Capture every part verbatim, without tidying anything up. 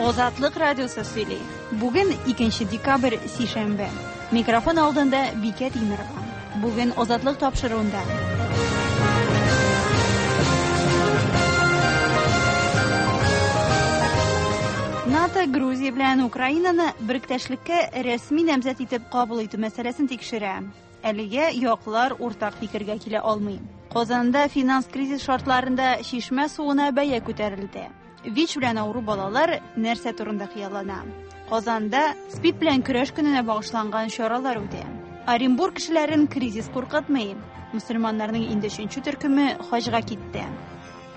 Азатлык радиосы сөйли. Бүген икенче декабрь, сишәмбе. Микрофон алдында Бикә Тимирова. Бүген Азатлык тапшыруында. НАТО Грузия белән Украинаны беректәшлеккә рәсми намзәт итеп кабул итү мәсьәләсен тикшерә. Әлегә яклар уртак фикергә килә алмый. Казанда финанс кризис шартларында чишмә суына бәя күтәрелде. ВИЧ белән авыру балалар нәрсә турында хыяллана? Казанда СПИД белән көрәш көненә багышланган чаралар үтә. Оренбург кешеләрен кризис куркытмый. Мөселманнарның инде өченче төркеме хаҗга китте.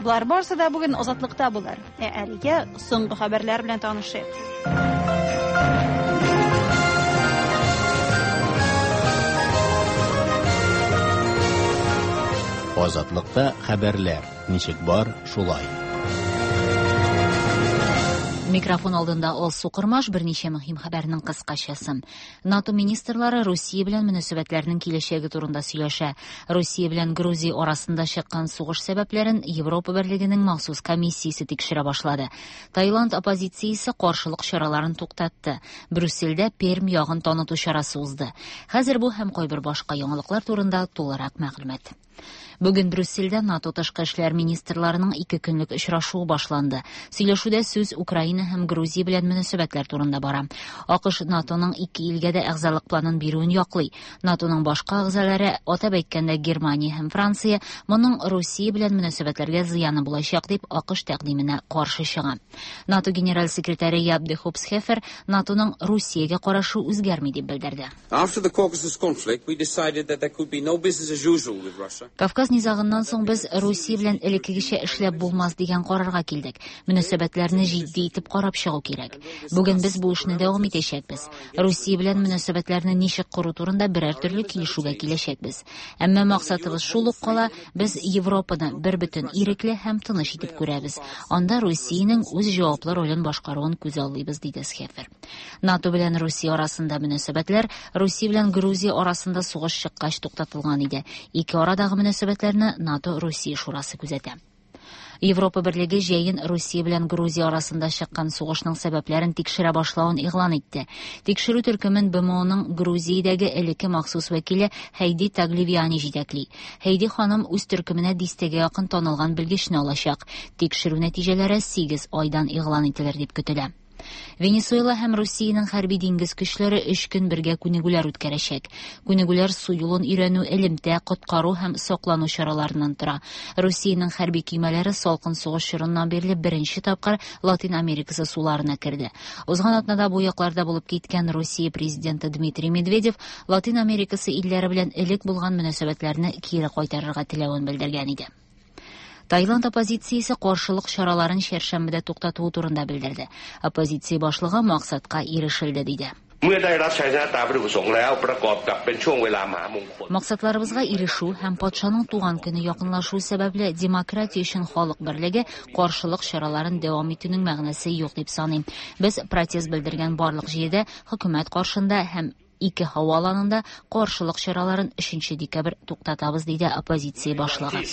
Болар барысы да бүген Азатлыкта булыр. Ә әлегә соңгы хәбәрләр белән танышыйк. Азатлыкта хәбәрләр ничек бар, шулай. Микрофон алдында Алсу Кырмаш, берничә мөһим хәбәрнең кыскачасы. НАТО министрлары Русия белән мөнәсәбәтләрнең киләчәге турында сөйләшә. Русия белән Грузия арасында чыккан сугыш сәбәпләрен Европа Берлегенең махсус комиссиясе тикшерә башлады. Таиланд оппозициясе каршылык чараларын туктатты. Брюссельдә Пермь ягын таныту чарасы узды. Хәзер бу һәм кайбер башка яңалыклар турында тулырак мәгълүмат. Бүген Брюссельдә НАТО тышкы эшләр министрларының ике көнлек очрашуы башланды. Сөйләшүдә сүз Украина һәм Грузия белән мөнәсәбәтләр турында бара. АКШ НАТОның ике илгә дә әгъзалык планын бирүен яклый. НАТОның башка әгъзалары, атап әйткәндә Германия һәм Франция, моның Русия белән мөнәсәбәтләргә зыяны булачак дип АКШ тәкъдименә каршы чыга. НАТО генераль секретаре Яб де Хопсхефер НАТОның Русиягә карашы үзгәрми дип белдерде. After the Caucasus conflict, we decided that there could be no business as usual with Russia. Кавказ низагыннан соң без Русия белән элеккегечә эшләп булмас дигән карарга килдек. Мөнәсәбәтләрне җитди итеп карап чыгу кирәк. Бүген без бу эшне дәвам итәчәкбез. Русия белән мөнәсәбәтләрне ничек кору турында берәр төрле килешүгә киләчәкбез. Әмма максатыбыз шул ук кала, без Европаны бер бөтен ирекле һәм тыныч итеп күрәбез. Анда Русиянең үз җаваплы ролен башкаруын күз аллыйбыз, диде Схефер. НАТО белән Русия арасында мөнәсәбәтләр Русия белән Грузия арасында сугыш чыккач туктатылган иде. Ике арадагы мөнәсәбәтләрне НАТО-Русия шурасы күзәтә. Европа Берлеге җәен Русия белән Грузия арасында чыккан сугышның сәбәпләрен тикшерә башлавын игълан итте. Тикшерү төркемен БМОның Грузиядәге элекке махсус вәкиле Хейди Тагливиани җитәкли. Хейди ханым үз төркеменә дистәгә якын танылган белгечне алачак. Тикшерү нәтиҗәләре сигез айдан игълан ителер дип көтелә. Венесуэла һәм Русиянең хәрби диңгез көчләре өч көн бергә күнегүләр үткәрәчәк. Күнегүләр су юлын өйрәнү, элемтә, коткару һәм саклану чараларыннан тора. Русиянең хәрби көймәләре салкын сугыш чорыннан бирле беренче тапкыр Латин Америкасы суларына керде. Узган атнада бу якларда булып киткән Русия президенты Дмитрий Медведев Латин Америкасы илләре белән элек булган мөнәсәбәтләрне кире кайтарырга теләвен белдергән иде. Таиланд оппозициясе каршылык чараларын чәршәмбедә туктатуы турында белдерде. Оппозиция башлыгы максатка ирешелде, диде. Максатларыбызга ирешү һәм патшаның туган көне якынлашу сәбәпле демократия өчен халык берлеге каршылык чараларын дәвам итүнең мәгънәсе юк дип саныйм. Без протест белдергән барлык җирдә хөкүмәт каршында һәм ике һава аланында каршылык чараларын өченче декабрь туктатабыз, диде оппозиция башлыгы.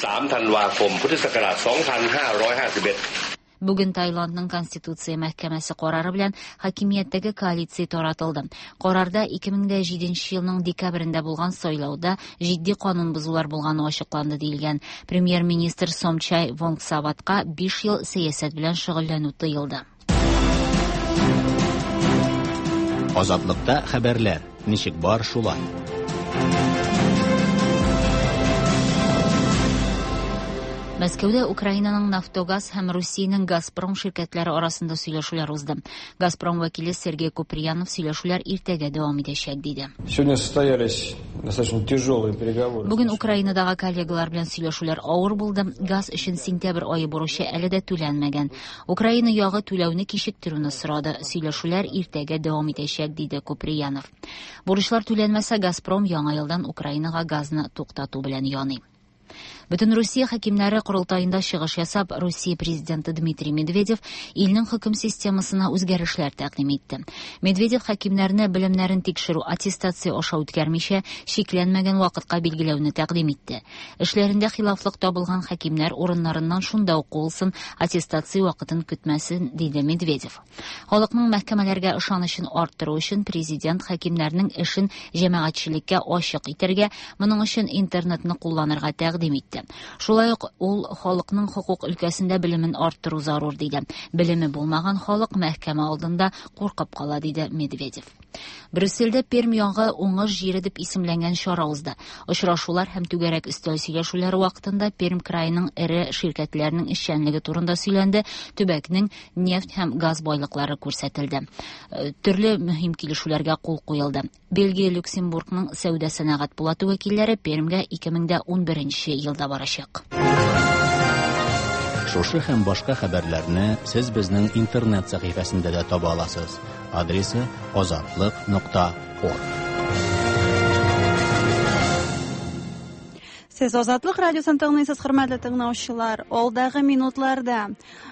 Бүген Таиландның Конституция мәхкәмәсе карары белән хакимияттәге коалиция таратылды. Карарда ике мең дә җиденче елның декабрендә булган сайлауда җитди канун бозулар булганы ачыкланды диелгән. Премьер-министр Сомчай Вонгсаватка биш ел сәясәт белән шөгыльләнү тыелды. Азатлыкта хәбәрләр ничек бар, шулай. Мәскәүдә Украинаның Нафтогаз һәм Русиянең Газпром ширкәтләре арасында сөйләшүләр узды. Газпром вәкиле Сергей Куприянов сөйләшүләр иртәгә дәвам итәчәк, диде. Сегодня состоялись достаточно тяжелые переговоры. Бүген Украинадагы коллегалар белән сөйләшүләр авыр булды. Газ өчен сентябрь ае бурычы әле дә түләнмәгән. Украина ягы түләүне кичектерүне сорады. Сөйләшүләр иртәгә дәвам итәчәк, диде Куприянов. Бурычлар түләнмәсә, Газпром яңа елдан Украинага газны туктату белән яный. Бөтен Русия хакимнәре корылтаенда чыгыш ясап, Русия президенты Дмитрий Медведев илнең хөкем системасына үзгәрешләр тәкъдим итте. Медведев хакимнәрне белемнәрен тикшерү аттестация аша үткәрмичә, чикләнмәгән вакытка билгеләүне тәкъдим итте. Эшләрендә хилафлык табылган хакимнәр урыннарыннан шунда ук куылсын, аттестация вакытын көтмәсен, диде Медведев. Халыкның мәхкәмәләргә ышанычын арттыру өчен президент хакимнәрнең эшен җәмәгатьчелеккә ачык итәргә, моның өчен интернетны кулланырга тәкъдим итте. Шулай ук ул халыкның хокук өлкәсендә белемен арттыру зарур диде. Белеме булмаган халык мәхкәмә алдында куркып кала, диде Медведев. Брюссельдә Пермь ягы уңыш җире дип исемләнгән чара узды. Очрашулар һәм түгәрәк өстәл сөйләшүләре вакытында Пермь краеның эре ширкәтләренең эшчәнлеге турында сөйләнде, төбәкнең нефть һәм газ байлыклары күрсәтелде. Төрле мөһим килешүләргә кул куелды. Бельгия, Люксембургның сәүдә сәнәгать палаты вәкилләре Пермьгә ике мең дә унберенче елда барачак. Шушы һәм башка хәбәрләрне сез безнең интернет сәхифәсендә дә таба аласыз. Адресы азатлык нокта орг. Сез Азатлык радиосын тыңлыйсыз, хөрмәтле тыңлаучылар. Алдагы минутларда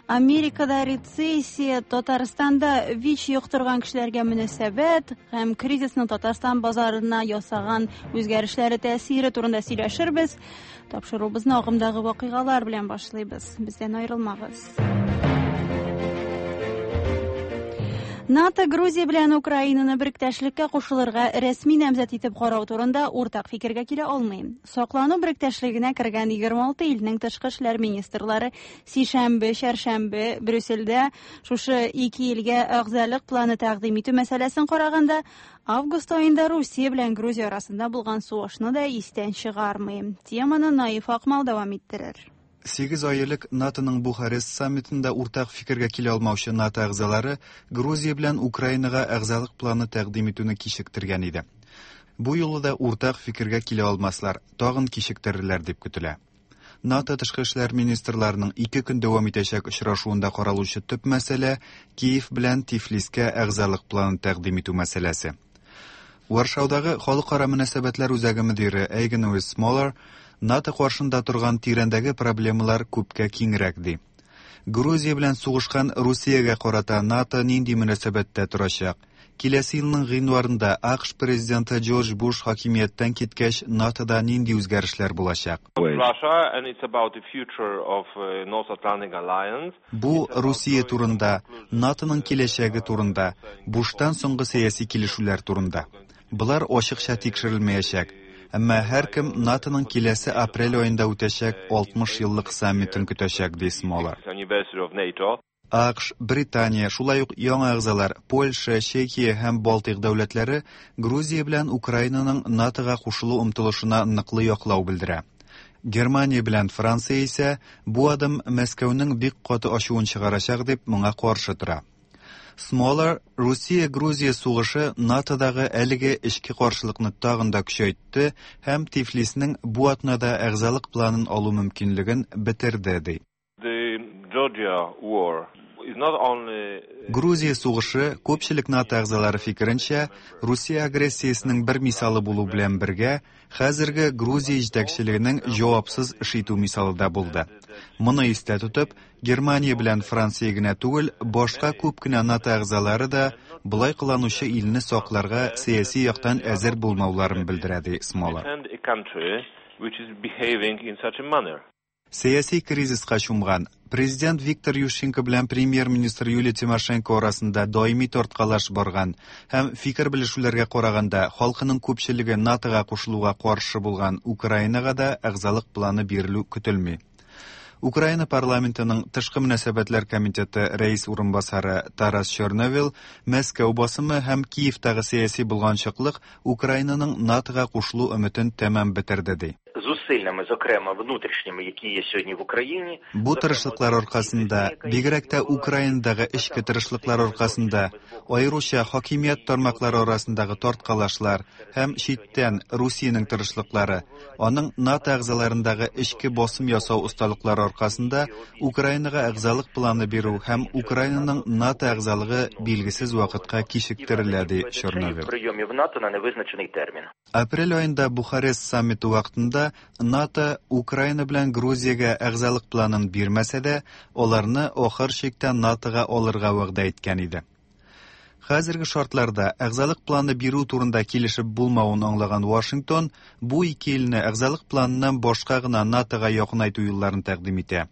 Америкада рецессия, Татарстанда ВИЧ йоктырган кешеләргә мөнәсәбәт һәм кризисның Татарстан базарына ясаган үзгәрешләре тәэсире турында сөйләшербез. Тапшыруыбызны агымдагы вакыйгалар белән башлыйбыз. Бездән аерылмагыз. НАТО Грузия белән Украинаны беректәшлеккә кушылырга рәсми намзәт итеп карау турында уртак фикергә килә алмый. Саклану беректәшлегенә кергән егерме алты илнең тышкы эшләр министрлары сишәмбе, чәршәмбе Брюссельдә шушы ике илгә әгъзалык планы тәкъдим итү мәсьәләсен караганда, август аенда Русия белән Грузия арасында булган сугышны да истән чыгармый. Теманы Наиф Акмал дәвам иттерер. Сигез ай элек НАТОның Бухарест саммитында уртак фикергә килә алмаучы НАТО әгъзалары Грузия белән Украинага әгъзалык планы тәкъдим итүне кичектерген иде. Бу юлы да уртак фикергә килә алмаслар, тагын кичектерерләр дип көтелә. НАТО тышкы эшләр министрларының ике көн дәвам итәчәк очрашуында каралучы төп мәсьәлә Киев белән Тифлискә әгъзалык планын тәкъдим итү мәсьәләсе. Варшаудагы халыкара мөнәсәбәтләр үзәге мөдире Эйген Смолар НАТО каршында торган тирәндәге проблемалар күпкә киңрәк ди. Грузия белән сугышкан Русиягә карата НАТО нинди мөнәсәбәттә торачак? Киләсе елның гыйнварында АКШ президенты Джордж Буш хакимияттән киткәч, НАТОда нинди үзгәрешләр булачак? Бу Русия турында, НАТОның киләчәге турында, Буштан соңгы сәяси килешүләр турында. Болар ачыкча тикшерелмәячәк. Әмма һәркем НАТОның киләсе апрель аенда үтәчәк алтмыш еллык саммитын көтәчәк, ди Смолар. АКШ, Британия, шулай ук яңа әгъзалар Польша, Чехия һәм Балтыйк дәүләтләре Грузия белән Украинаның НАТОга кушылу омтылышына ныклы яклау белдерә. Германия белән Франция исә бу адым Мәскәүнең бик каты ачуын чыгарачак дип моңа каршы тора. Смолар Русия-Грузия сугышы НАТОдагы әлеге эчке каршылыкны тагын да көчәйтте һәм Тифлиснең бу атнада әгъзалык планын алу мөмкинлеген бетерде, ди. Грузия сугышы күпчелек НАТО әгъзалары фикеренчә, Русия агрессиясенең бер мисалы булу белән бергә, хәзерге Грузия җитәкчелегенең җавапсыз эш итү мисалы да булды. Моны истә тотып, Германия белән Франция генә түгел, башка күп кенә НАТО әгъзалары да болай кыланучы илне сакларга сәяси яктан әзер булмауларын белдерә, ди Смолар. Сәяси кризиска чумган президент Виктор Ющенко белән премьер-министр Юлия Тимошенко арасында даими тарткалаш барган һәм фикер белешүләргә караганда халкының күпчелеге НАТОга кушылуга каршы булган Украинага да әгъзалык планы бирелү көтелми. Украина парламентының тышкы мөнәсәбәтләр комитеты рәис урынбасары Тарас Черновил Мәскәү басымы һәм Киевтагы сәяси булганчыклык Украинаның НАТОга кушылу өметен тәмам бетерде, ди. Зусиллями, зокрема, внутрішніми, які є сьогодні в Україні. Бу тырышлыклар аркасында, бигрәк тә Украинадагы эчке тырышлыклар аркасында, аеруча хакимият тармаклары арасындагы тарткалашлар һәм читтән Русиянең тырышлыклары, аның НАТО әгъзаларындагы эчке басым ясау осталыклары аркасында Украинага әгъзалык планы бирү һәм Украинаның НАТО әгъзалыгы билгесез вакытка кичектерелә, ди Черновил. Прийомів НАТО на невизначений термін. Апрель аенда Бухарест саммиты вакытында НАТО Украина белән Грузиягә әгъзалык планын бирмәсә дә, аларны ахыр чиктә НАТОга алырга вәгъдә иткән иде. Хәзерге шартларда әгъзалык планы бирү турында килешеп булмавын аңлаган Вашингтон бу ике илне әгъзалык планыннан башка гына НАТОга якынайту юлларын тәкъдим итә.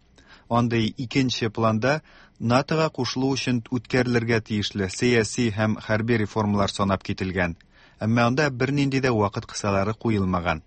Андый икенче планда НАТОга кушылу өчен үткәрелергә тиешле сәяси һәм хәрби реформалар санап кителгән. Әмма анда бернинди дә вакыт кысалары куелмаган.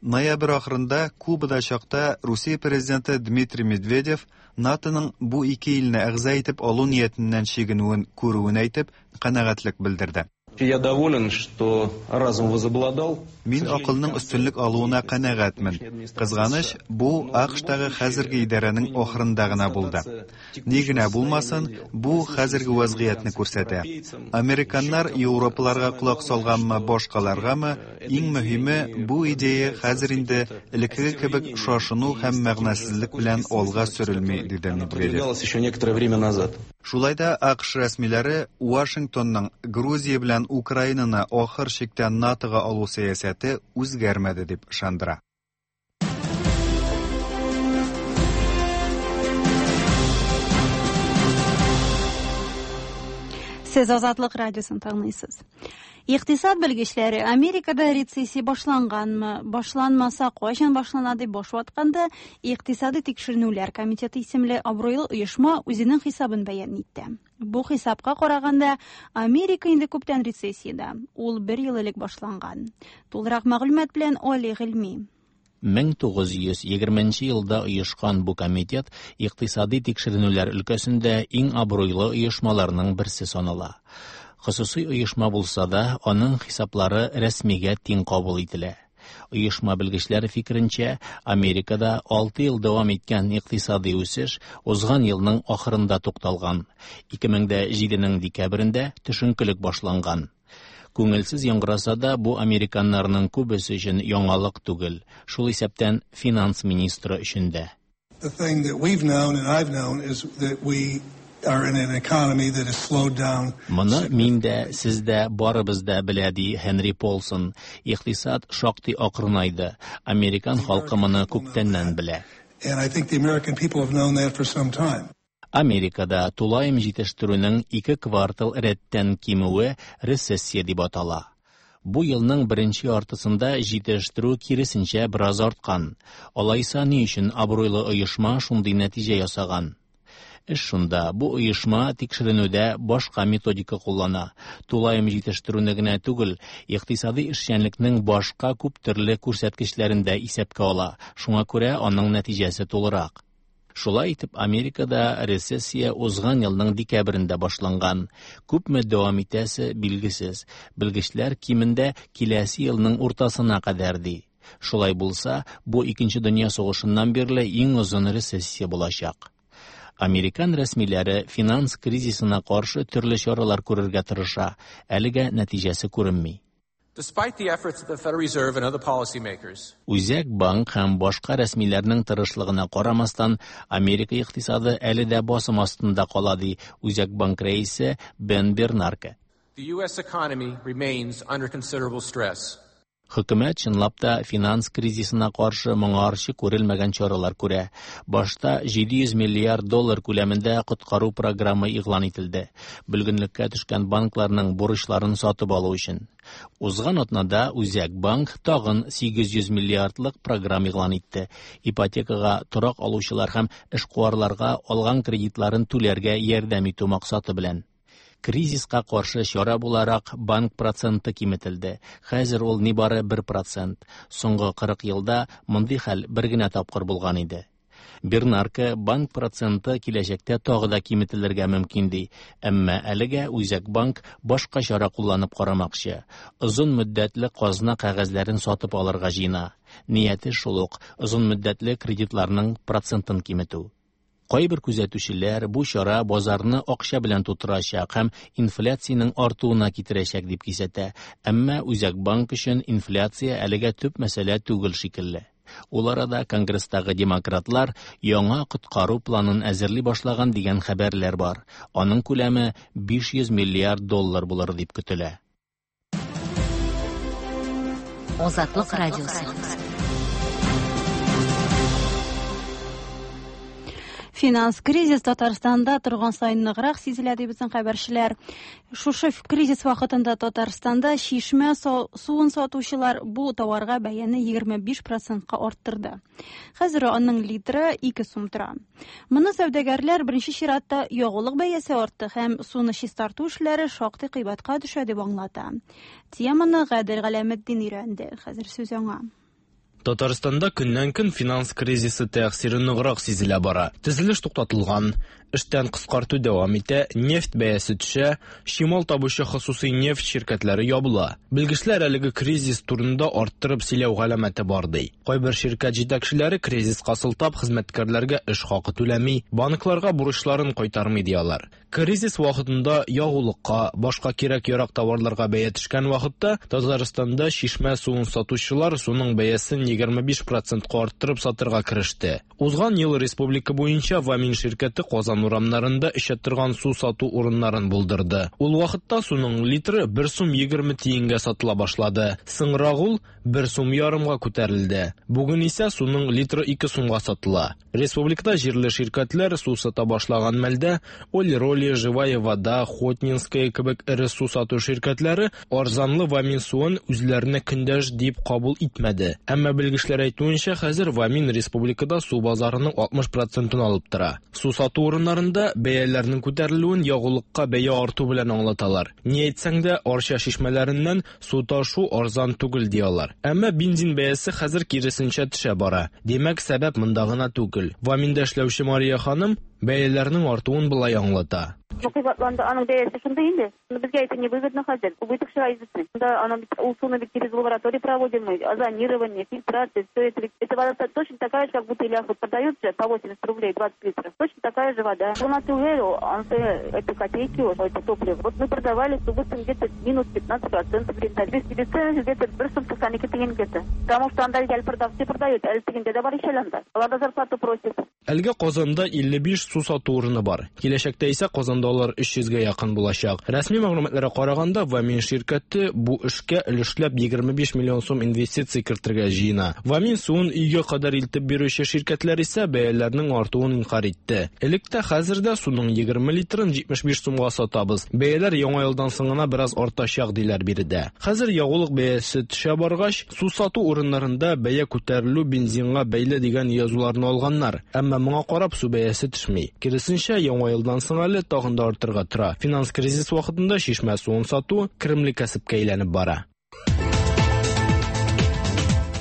Ноябрь ахырында Кубада чакта Русия президенты Дмитрий Медведев НАТОның бу ике илне әгъза итеп алу ниятеннән чигенүен күрүен әйтеп, канәгатьлек белдерде. Я доволен, что разум возобладал. Мин акылның өстенлек алуына канәгатьмен. Кызганыч, бу АКШтагы хәзерге идарәнең ахырында гына булды. Ни генә булмасын, бу хәзерге вазгыятьне күрсәтә. Американнар европаларга колак салганмы, башкаларгамы, иң мөһиме бу идея хәзер инде элеккеге кебек шашыну һәм мәгънәсезлек белән алга сөрелми, диде Медведев. Еще некоторое время назад. Шулай да АКШ рәсмиләре Вашингтонның Грузия белән Украинаны ахыр чиктә НАТОга алу сәясәте үзгәрмәде дип ышандыра. Сез Азатлык радиосын тыңлыйсыз. Икътисад белгечләре Америкада рецессия башланганмы, башланмаса кайчан башлана дип баш ватканда, Икътисади тикшеренүләр комитеты исемле абруйлы оешма үзенең хисабын бәян итте. Бу хисапка караганда, Америка инде күптән рецессиядә. Ул бер ел элек башланган. Тулырак мәгълүмат белән Али Гыйльми. мең тугыз йөз егерменче елда оешкан бу комитет икътисади тикшеренүләр өлкәсендә иң абруйлы оешмаларның берсе санала. Хосусый оешма булса да, аның хисаплары рәсмигә тиң кабул ителә. Оешма белгечләре фикеренчә, Америкада алты ел дәвам иткән икътисади үсеш узган елның ахырында тукталган. ике мең дә җиденең декабрендә төшенкелек башланган. Күңелсез яңгыраса да, бу американнарның күбесе өчен яңалык түгел, шул исәптән финанс министры өчен дә. The thing that we've known and I've known is that we are in an economy that is slowed down. Моны мин дә, сез дә, барыбыз да белә, ди Хенри Полсон. Икътисад шактый акрынайды. Американ халкы моны күптәннән белә. And I think the American people have known that for some time. Америкада тулаем җитештерүнең ике квартал рәттән кимүе рецессия дип атала. Бу елның беренче яртысында җитештерү киресенчә бераз арткан. Алайса ни өчен абруйлы оешма шундый нәтиҗә ясаган? Эш шунда, бу оешма тикшеренүдә башка методика куллана. Тулаем җитештерүне генә түгел, икътисади эшчәнлекнең башка күп төрле күрсәткечләрен дә исәпкә ала. Шуңа күрә аның нәтиҗәсе тулырак. Шулай итеп, Америкада рецессия узган елның декабрендә башланган. Күпме дәвам итәсе билгесез. Белгечләр кимендә киләсе елның уртасына кадәр ди. Шулай булса, бу Икенче дөнья сугышыннан бирле иң озын рецессия булачак. Американ рәсмиләре финанс кризисына каршы төрле чаралар күрергә тырыша. Әлегә нәтиҗәсе күренми. Despite the efforts of the Federal Reserve and other policymakers, Үзәк банк һәм башка рәсмиләрнең тырышлыгына карамастан, Америка икътисады әле дә басым астында кала, ди Үзәк банк рәисе Бен Бернанке. The U S economy remains under considerable stress. Хөкүмәт чынлап та финанс кризисына каршы моңарчы күрелмәгән чаралар күрә. Башта җиде йөз миллиард доллар күләмендә коткару программы игълан ителде. Бөлгенлеккә төшкән банкларның бурычларын сатып алу өчен. Узган атнада Үзәк банк тагын сигез йөз миллиардлык программа игълан итте. Ипотекага торак алучылар һәм эшкуарларга алган кредитларын түләргә ярдәм итү максаты белән. Кризиска каршы чара буларак банк проценты киметелде. Хәзер ул нибары бер процент. Соңгы кырык елда мондый хәл бер генә тапкыр булган иде. Бернанке банк проценты киләчәктә тагы да киметелергә мөмкин ди. Әмма әлегә Үзәк банк башка чара кулланып карамакчы. Озын мөддәтле казна кәгазьләрен сатып алырга җыена. Нияте шул ук, озын мөддәтле кредитларның процентын киметү. Кайбер күзәтүчеләр бу чара базарны акча белән тутырачак һәм инфляциянең артуына китерәчәк дип кисәтә. Әмма Үзәк банк өчен инфляция әлегә төп мәсьәлә түгел шикелле. Ул арада Конгресстагы демократлар яңа коткару планын әзерли башлаган дигән хәбәрләр бар. Аның күләме биш йөз миллиард доллар булыр дип көтелә. Азатлык радиосы. Финанс кризис Татарстанда торган сайын ныграк сизелә, ди безнең хәбәрчеләр. Шушы кризис вакытында Татарстанда чишмә суын сатучылар бу товарга бәяне егерме биш процентка арттырды. Хәзер аның литры ике сум тора. Моны сәүдәгәрләр беренче чиратта ягулык бәясе артты һәм суны чистарту эшләре шактый кыйбатка төшә дип аңлата. Теманы Гадел Галәметдин өйрәнде. Хәзер сүз аңа. Татарстанда көннән-көн финанс кризисы тәэсире ныграк сизелә бара. Төзелеш туктатылган, эштән кыскарту дәвам итә, нефть бәясе төшә, чимал табучы хосусый нефть ширкәтләре ябыла. Белгечләр әлеге кризис турында арттырып сөйләү галәмәте бар ди. Кайбер ширкәт җитәкчеләре кризиска сылтап хезмәткәрләргә эш хакы түләми, банкларга бурычларын кайтармый ди алар. Кризис вакытында ягулыкка, башка кирәк-ярак товарларга бәя төшкән вакытта Татарстанда чишмә суын сатучылар суның бәясен егерме биш процентка арттырып сатырга кереште. Узган ел республика буенча Вамин ширкәте Казан урамнарында эчә торган су сату урыннарын булдырды. Ул вакытта суның литры бер сум егерме тиенгә сатыла башлады. Соңрак ул бер сум ярымга күтәрелде. Бүген исә суның литры ике сумга сатыла. Республикада җирле ширкәтләр су сата башлаган мәлдә Олироли, Живая вода, Хотнинская кебек эре су сату ширкәтләре арзанлы Вамин суын үзләренә көндәш дип кабул итмәде. Әмма белгечләр әйтүенчә, хәзер Вамин республикада су базарының алтмыш процентын алып тора. Су сату урыннарында бәяләрнең күтәрелүен ягулыкка бәя арту белән аңлаталар. Ни әйтсәң дә, Арча чишмәләреннән су ташу арзан түгел ди алар. Әмма бензин бәясе хәзер киресенчә төшә бара. Димәк, сәбәп монда гына түгел. Ваминда эшләүче Мария ханым бәяләрнең артуын болай аңлата. Кыйбатланды, аның бәясе шундый инде. Безгә это не выгодно хәзер. Убыток ширайзы. Да, она ул суны бит через лабораторию проводим мы, озонирование, фильтрация, все это. Эта вода точно такая же, как в бутылях вот продаются по восемьдесят рублей двадцать литров. Точно такая же вода. У нас уверил, он это копейки, это топливо. Вот мы продавали с убытком где-то минус пятнадцать процентов рентабельности. Себестоимость где-то бер сум туксан ике тиен где-то. Потому что анда әле продавцы продают, әле тегендә дә бар ич әле анда. Алар да зарплату просят. Әлгә Казанда илле биш су сату урыны бар. Киләчәктә исә Казанда алар өч йөзгә якын булачак. Рәсми мәгълүматларга караганда, Вамин ширкәте бу эшкә өлешләп егерме биш миллион сум инвестиция кертергә җыена. Вамин суын өйгә кадәр илтеп бирүче ширкәтләр исә бәяләрнең артуын инкар итте. Элек тә хәзер дә суның егерме литрын җитмеш биш сумга сатабыз. Бәяләр яңа елдан соң гына бераз артачак диләр биредә. Хәзер ягулык бәясе төшә баргач, су сату урыннарында бәя күтәрелү бензинга бәйле дигән язуларны алганнар. Әмма моңа карап су бәясе төшми. Киресенчә, яңа елдан соң әле тагын да артырга тора. Финанс кризис вакытында чишмә суын сату керемле кәсепкә әйләнеп бара.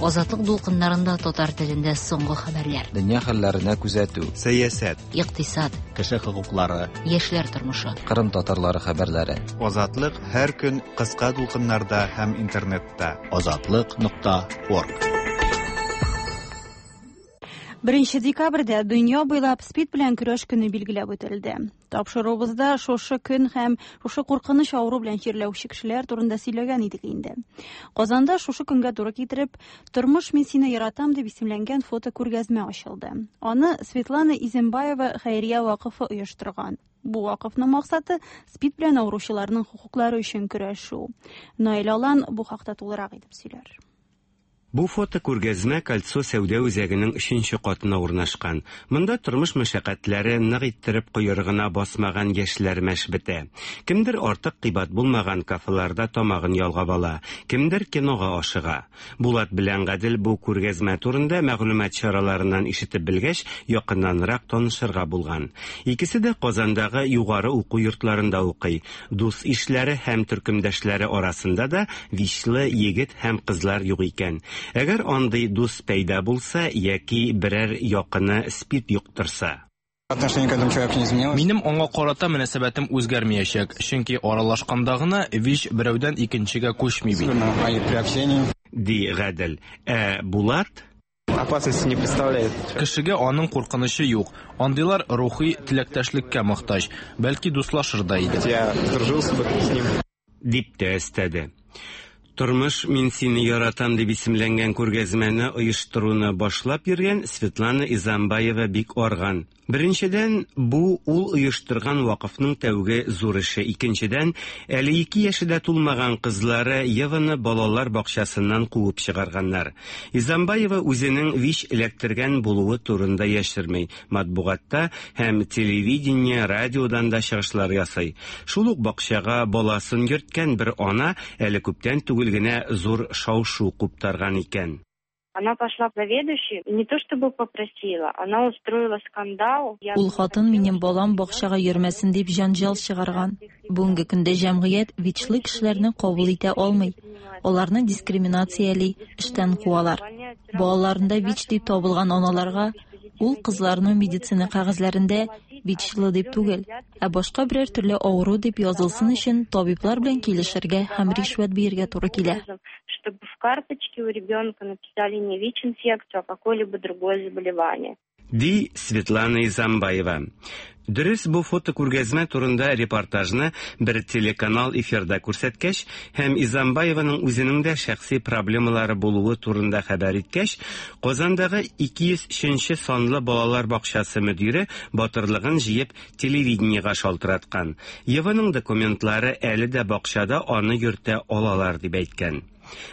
Азатлык дулкыннарында татар телендә соңгы хәбәрләр. Дөнья хәлләренә күзәтү, сәясәт, икътисад, кеше хокуклары, яшьләр тормышы, Кырым татарлары хәбәрләре. Азатлык һәр көн кыска дулкыннарда һәм интернетта. Азатлык нокта орг. Беренче декабрьдә дөнья буйлап СПИД белән көрәш көне билгеләп үтелде. Тапшыруыбызда шушы көн һәм шушы куркыныч авыру белән чирләүче кешеләр турында сөйләгән идек инде. Казанда шушы көнгә туры китереп, «Тормыш мин сине яратам» дип исемләнгән фото күргәзмә ачылды. Аны Светлана Изембаева хәйрия вакыфы оештырган. Бу вакыфның максаты СПИД белән авыручыларның хокуклары өчен көрәшү. Наил Алан бу хакта тулырак итеп сөйләр. Бу фото күргәзмә Кольцо сәүдә үзәгенең өченче катына урнашкан. Монда тормыш мәшәкатьләре нык иттереп койрыгына басмаган яшьләр мәш бетә. Кемдер артык кыйбат булмаган кафеларда тамагын ялгап ала, кемдер кинога ашыга. Булат белән Гадел бу күргәзмә турында мәгълүмат чараларыннан ишетеп белгәч, якыннанрак танышырга булган. Икесе дә Казандагы югары уку йортларында укый. Дус ишләре һәм төркемдәшләре арасында да вишле егет һәм кызлар юк икән. Әгәр андый дус пәйда булса яки берәр якыны СПИД йоктырса. Отношение к этому человеку не изменилось. Минем аңа карата мөнәсәбәтем үзгәрмәячәк, чөнки аралашканда гына ВИЧ берәүдән икенчегә күчми бит. Ди Гадел. Ә Булат опасности не представляет. Кешегә аның куркынычы юк. Андыйлар рухи теләктәшлеккә мохтаҗ, бәлки дуслашыр да иде. Я сдружился бы с ним. Дип тә өстәде. Тормыш мин сине яратам дип исемләнгән күргәзмәне оештыруны башлап йөргән Светлана Изамбаева бик арган. Беренчедән, бу ул оештырган вакыфның тәүге зур эше. Икенчедән, әле ике яше дә тулмаган кызлары Еваны балалар бакчасыннан куып чыгарганнар. Изамбаева үзенең ВИЧ эләктергән булуы турында яшерми. Матбугатта һәм телевидение, радиодан да чыгышлар ясый. Шул ук бакчага баласын йөрткән бер ана әле күптән түгел генә зур шау-шу куптарган икән. Она пошла к заведующей, не то чтобы попросила, она устроила скандал. Ул хатын минем балам бакчага йөрмәсен дип җанҗал чыгарган. Бүгенге көндә җәмгыять ВИЧлы кешеләрне кабул итә алмый. Аларны дискриминацияли, эштән куалар. Балаларында ВИЧ дип табылган аналарга ул кызларның медицина кәгазьләрендә ВИЧлы дип түгел, ә башка берәр төрле авыру дип язылсын өчен табиблар белән килешергә һәм ришвәт бирергә туры килә. Чтобы в карточке у ребенка написали не ВИЧ-инфекцию, а какое-либо другое заболевание. Ди Светлана Изамбаева. Дөрес, бу фотокүргәзмә турында репортажны бер телеканал эфирда күрсәткәч һәм Изамбаеваның үзенең дә шәхси проблемалары булуы турында хәбәр иткәч, Казандагы ике йөз өченче санлы балалар бакчасы мөдире батырлыгын җыеп телевидениегә шалтыраткан. Еваның документлары әле дә бакчада аны йөртә алалар дип әйткән.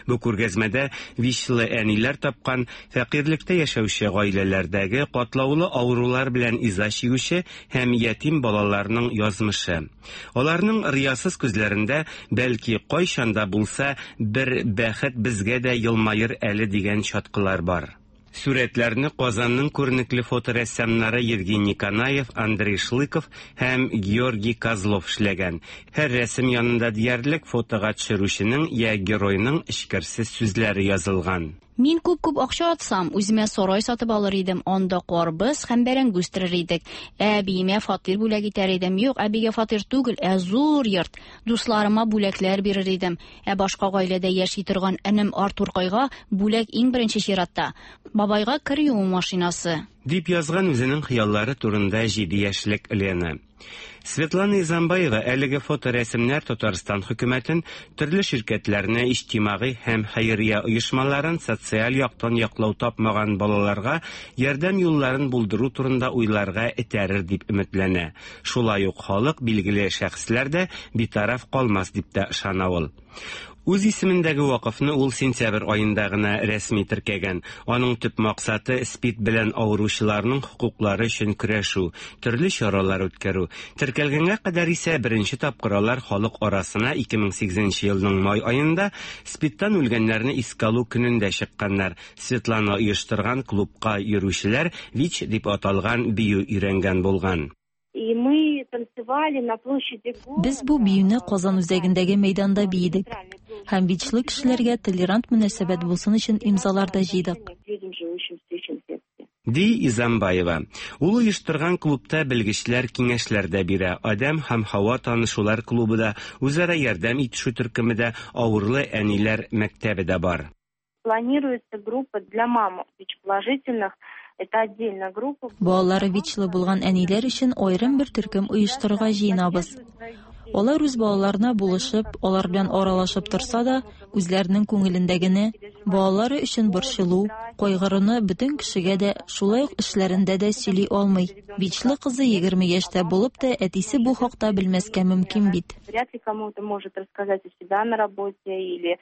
Бу күргәзмәдә ВИЧлы әниләр тапкан фәкыйрьлектә яшәүче гаиләләрдәге катлаулы авырулар белән иза чигүче һәм ятим балаларның язмышы. Аларның риясыз күзләрендә бәлки кайчан да булса бер бәхет безгә дә елмаер әле дигән чаткылар бар. Сүрәтләрне Казанның күренекле фоторәссамнары Евгений Канаев, Андрей Шлыков һәм Георгий Козлов эшләгән. Һәр рәсем янында диярлек фотога төшерүченең я геройның эчкерсез сүзләре язылган. Мин күп-күп акча атсам, үземә сарай сатып алыр идем, анда карбыз һәм бәрәңге үстерер идек. Әбиемә фатир бүләк итәр идем. Юк, әбигә фатир түгел, ә зур йорт. Дусларыма бүләкләр бирер идем. Ә башка гаиләдә яши торган энем Артуркайга бүләк иң беренче чиратта. Бабайга кер юу машинасы. Дип язган үзенең хыяллары турында җиде яшьлек Лена. Светлана Изамбаева әлеге фоторәсемнәр Татарстан хөкүмәтен, төрле ширкәтләрне, иҗтимагый һәм хәйрия оешмаларын социаль яктан яклау тапмаган балаларга ярдәм юлларын булдыру турында уйларга этәрер дип өметләнә. Шулай ук халык, билгеле шәхесләр дә битараф калмас дип тә ышана ул. Үз исемендәге вакыфны ул сентябрь аенда гына рәсми теркәгән. Аның төп максаты СПИД белән авыручыларның хокуклары өчен көрәшү, төрле чаралар үткәрү. Теркәлгәнгә кадәр исә беренче тапкыр алар халык арасына ике мең сигезенче елның май аенда СПИДтан үлгәннәрне искә алу көнендә чыкканнар. Светлана оештырган клубка йөрүчеләр ВИЧ дип аталган бию өйрәнгән булган. И мы танцевали на площади города. Без бу биюне Казан үзәгендәге мәйданда биедек. Һәм ВИЧлы кешеләргә толерант мөнәсәбәт булсын өчен имзалар да җыйдык. Ди Изамбаева. Ул оештырган клубта белгечләр киңәшләр дә бирә. Адәм һәм Һава танышулар клубы да, үзара ярдәм итешү төркеме дә, авырлы әниләр мәктәбе дә бар. Планируется группа для мам ВИЧ-положительных. Это отдельная группа. Балалары ВИЧлы булган әниләр өчен аерым бер төркем оештырырга җыенабыз. Алар үз балаларына булышып, алар белән аралашып торса да, үзләренең күңелендәгене, балалары өчен борчылу, кайгыруны бөтен кешегә дә, шулай ук эшләрендә дә сөйли алмый. ВИЧлы кызы егерме яшьтә булып та, әтисе бу хакта белмәскә мөмкин бит. Вряд ли кому-то может рассказать о себя на работе или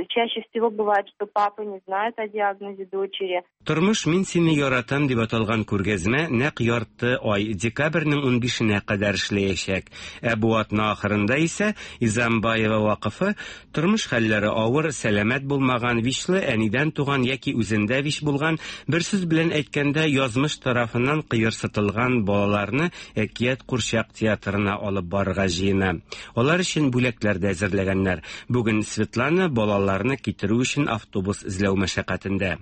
чаще всего бывает, что папа не знает о диагнозе дочери. Тормыш мин сине яратам дип аталган күргәзмә нәкъ ярты ай декабрьнең унбишенә кадәр эшләячәк. Ә бу атна ахырында исә Изамбаева вакыфы тормыш хәлләре авыр, сәламәт булмаган ВИЧлы әнидән туган яки үзендә ВИЧ булган, бер сүз белән әйткәндә язмыш тарафыннан кыерсытылган балаларны Әкият курчак театрына алып барырга җыена. Алар өчен бүләкләр дә әзерләгәннәр. Бүген Светлана балаларны китерү өчен автобус эзләү мәшәкатендә.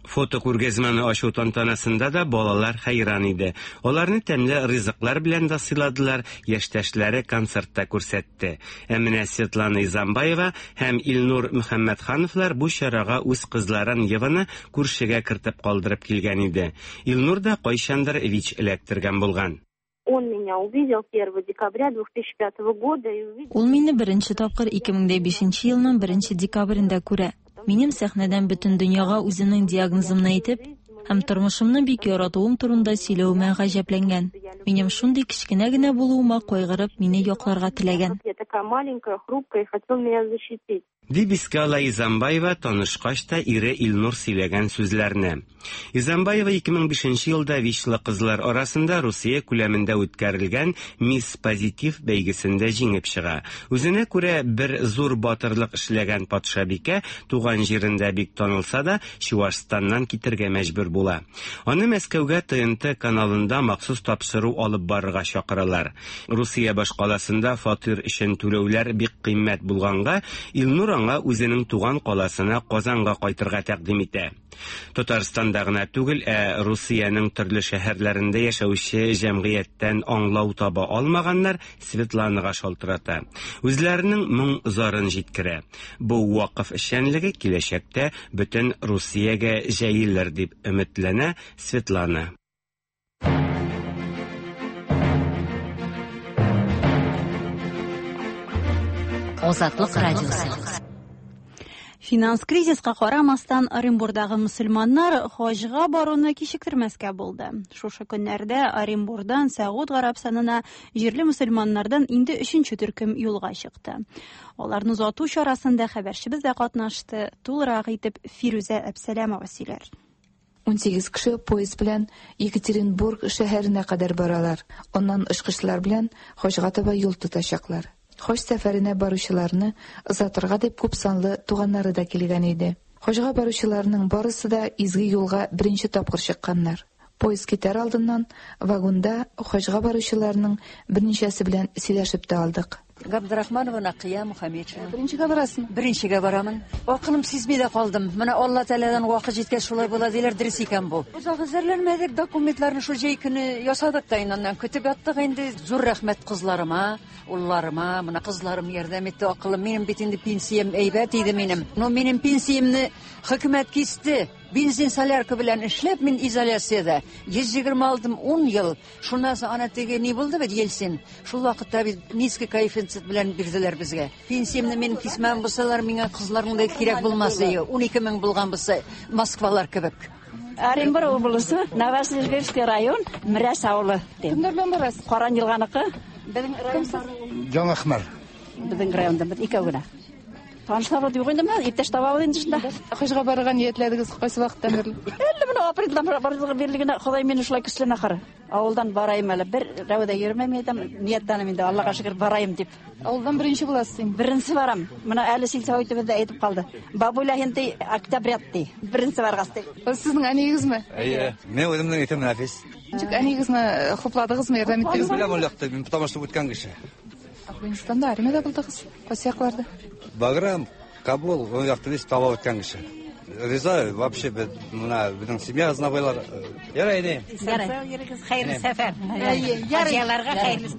Фотокүргәзмәне ачу тантанасында да балалар хәйран иде. Аларны тәмле ризыклар белән дә сыйладылар, яшьтәшләре концертта күрсәтте. Ә менә Светлана Изамбаева һәм Илнур Мөхәммәтхановлар бу чарага үз кызларын Еваны күршегә кертеп калдырып килгән иде. Илнур да кайчандыр ВИЧ эләктергән булган. Он меня увидел первого декабря две тысячи пятого года и увидел. Ул мине беренче тапкыр ике мең дә бишенче елның беренче декабрендә күрә. Минем сәхнәдән бөтен дөньяга үземнең диагнозымны әйтеп Һәм тормышымны бик яратуым турында сөйләвемә гаҗәпләнгән. Минем шундый кечкенә генә булуыма кайгырып, мине якларга теләгән. Я такая маленькая, хрупкая, и хотел меня защитить. Дип искә ала Изамбаева танышкач та ире Илнур сөйләгән сүзләрне. Изамбаева ике мең бишенче елда вичлы кызлар арасында Русия күләмендә үткәрелгән Мисс Позитив бәйгесендә җиңеп чыга. Үзенә күрә бер зур батырлык эшләгән патшабикә туган җирендә бик танылса да, Чуашстаннан китергә мәҗбүр була. Аны Мәскәүгә Т Н Т каналында махсус тапшыру алып барырга чакыралар. Русия башкаласында фатир өчен түләүләр бик кыйммәт булганга, Илнур аңа үзенең туган каласына Казанга кайтырга тәкъдим итә. Татарстанда гына түгел, ә Русиянең төрле шәһәрләрендә яшәүче җәмгыятьтән аңлау таба алмаганнар Светланага шалтырата. Үзләренең моң зарын җиткерә. Бу вакыф эшчәнлеге киләчәктә бөтен Русиягә җәелер дип өметләнә Светлана. Азатлык радиосы. Финанс кризиска карамастан Оренбурдагы мөселманнар хаҗга баруны кичектермәскә булды. Шушы көннәрдә Оренбурдан Сәгуд Гарәбстанына җирле мөселманнардан инде өченче төркем юлга чыкты. Аларны озату чарасында хәбәрчебез дә катнашты. Тулырак итеп Фирүзә Әбсәләмова сөйләр. ун сигез кеше поезд белән Екатеринбург шәһәренә кадәр баралар. Аннан очкычлар белән хаҗга таба юл тотачаклар. Хаҗ сәфәренә баручыларны озатырга дип күп санлы туганнары да килгән иде. Хаҗга баручыларның барысы да изге юлга беренче тапкыр чыкканнар. Поезд китәр алдыннан вагонда хаҗга баручыларның берничәсе белән сөйләшеп тә алдык. Габдрахманова Нақия Мухаммедшина. Беренчегә барасың? Беренчегә барамын. Акылым сизми дә калдым. Менә Алла Тәгаләдән вакыт җиткәч шулай була диләр, дөрес икән бу. Озак әзерләнмәдек, документларны шул җәй көне ясадык та инде, аннан көтеп яттык инде. Зур рәхмәт кызларыма, улларыма, менә кызларым ярдәм итте, акылым. Минем бит инде пенсиям әйбәт иде минем. Но минем пенсиямне хөкүмәт кисте. Бензин солярка белән эшләп мин изоляциядә йөз егерме алдым ун ел. Шуннан соң ана теге ни булды бит Ельцин. Шул вакытта бит низкий коэффициент белән бирделәр безгә. Пенсиямне мин кисмәм булсалар, миңа кызларның да кирәк булмас иде. Ун ике мең булган булса, Москвалар кебек. Оренбург облысы, Новосибирский район, Мирәс авылы. Кемнәр белән барасыз? Каран елганыкы. Безнең район. Яңа Әхмәр. Безнең районда без икәү генә. Танышлар юк инде, менә иптәш табабыз инде шунда. Хаҗга барырга ниятләдегез кайсы вакыттан бирле? Әле менә апрельдән барырга бирле Ходай мине шулай көчләнә ахыры. Авылдан барайым әле, бер рәведә йөрмәйм әйтәм, ниятләнәм инде, Аллага шөкер барайым дип. Авылдан беренче буласыз инде. Беренче барам. Менә әле сельсоветыбыз да әйтеп калды. Бабуля инде октябрят ди. Беренче баргас ди. Сезнең әниегезме? Әйе, мин үземнең исемем Нәфис. Ничек әниегезне хупладыгызмы, ярдәм иттегезме? Беләм ул якта, мин потому что үткән кеше. Афганистанда армиядә булдыгыз? Кайсы якларда? Баграм, Кабул, ул якта без таба үткән кеше. Риза, вообще, менә безнең семья знабайлар. Ярай инде. Ярай. Хәерле сәфәр. Ярай. Хәерле.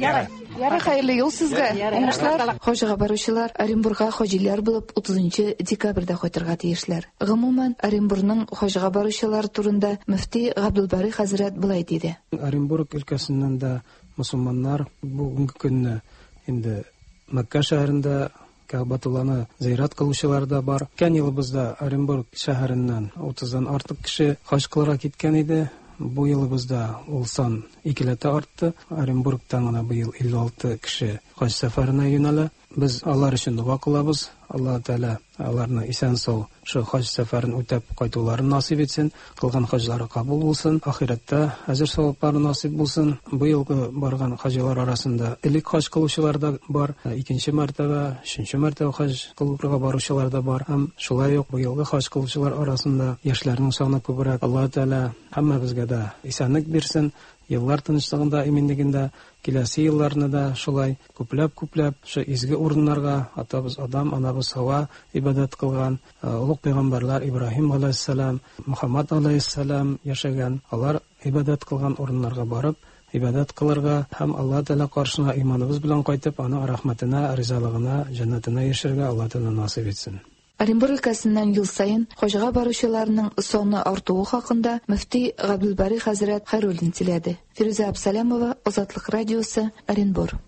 Ярай. Ярай, хәерле юл сезгә. Уңышлар. Хаҗга баручылар Оренбургка хаҗилар булып утызынчы декабрьдә кайтырга тиешләр. Гомумән, Оренбургның хаҗга баручылар турында мөфти Габдулбари хәзрәт болай диде. Оренбург өлкәсеннән дә мөселманнар бүгенге көнне инде Мәккә шәһәрендә Кәгъбәтулланы зыярат кылучылар да бар. Үткән елыбызда Оренбург шәһәреннән утыздан артык кеше хаҗ кылырга киткән иде. Бу елыбызда ул сан икеләтә артты. Оренбургтан гына быел илле алты кеше хаҗ сәфәренә юнәлә. Без алар өчен дога кылабыз. Аллаһ Тәгалә аларны исән-сау шу хаҗ сәфәрен үтәп кайтуларын насыйп итсен, кылган хаҗлары кабул булсын, ахирәттә әҗер-саваплары насыйп булсын. Быелгы барган хаҗилар арасында элек хаҗ кылучылар да бар, икенче мәртәбә, өченче мәртәбә хаҗ кылырга баручылар да бар. Һәм шулай ук быелгы хаҗ кылучылар арасында яшьләрнең саны күбрәк. Аллаһ Тәгалә һәммәбезгә дә исәнлек бирсен, еллар тынычлыгында, иминлегендә, киләсе елларны да шулай күпләп-күпләп шу изге урыннарга атабыз Адам, анабыз Һава ибадәт кылган, олуг пәйгамбәрләр Ибраһим алейһиссалам, Мухаммад алейһиссалам яшәгән, алар ибадәт кылган урыннарга барып ибадәт кылырга һәм Аллаһ Тәгалә каршына иманыбыз белән кайтып, аның рәхмәтенә, ризалыгына, җәннәтенә ирешергә Аллаһ Тәгалә насыйп итсен. Оренбург өлкәсеннән ел саен хаҗга баручыларның саны артуы хакында мөфти Габдулбари хәзрәт Хәйруллин сөйләде. Фирүзә Абсалямова, Азатлык радиосы, Оренбург.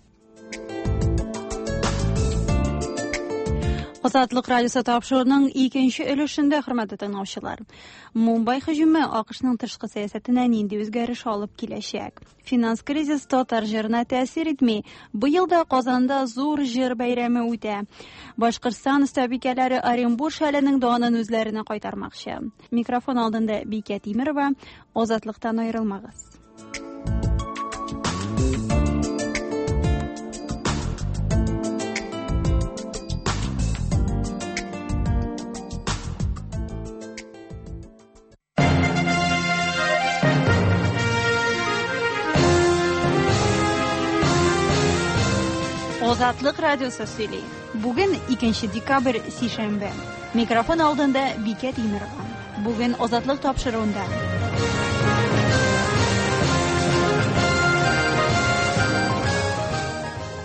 Азатлык радиосы тапшыруының икенче өлешендә, хөрмәтле тыңлаучылар, Мумбай һөҗүме АКШның тышкы сәясәтенә нинди үзгәреш алып киләчәк? Финанс кризис татар җырына тәэсир итми. Быел да Казанда зур җыр бәйрәме үтә. Башкортстан остабикәләре Оренбур шәленең данын үзләренә кайтармакчы. Микрофон алдында Бикә Тимирова. Азатлыктан аерылмагыз. Азатлык радиосы сөйли. Бүген икенче декабрь, сишәмбе. Микрофон алдында Бикә Тимирова. Бүген Азатлык тапшыруында.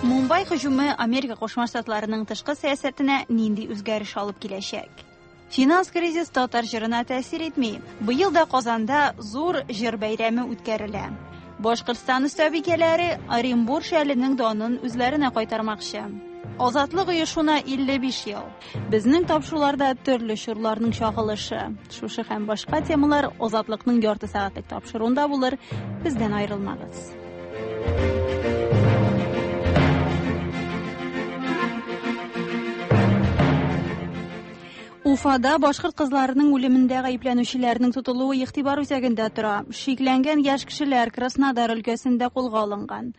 Мумбай һөҗүме Америка Кушма Штатларының тышкы сәясәтенә нинди үзгәреш алып киләчәк? Финанс кризис татар җырына тәэсир итми. Быел да Казанда зур җыр бәйрәме үткәрелә. Башкортстан остабикәләре Оренбур шәленең данын үзләренә кайтармакчы. Азатлык оешуына илле биш ел. Безнең тапшыруларда төрле чорларның чагылышы. Шушы һәм башка темалар Азатлыкның ярты сәгатьлек тапшыруында булыр. Бездән аерылмагыз. Уфада башкорт кызларының үлемендә гаепләнүчеләрнең тотылуы игътибар үзәгендә тора. Шикләнгән яшь кешеләр Краснодар өлкәсендә кулга алынган.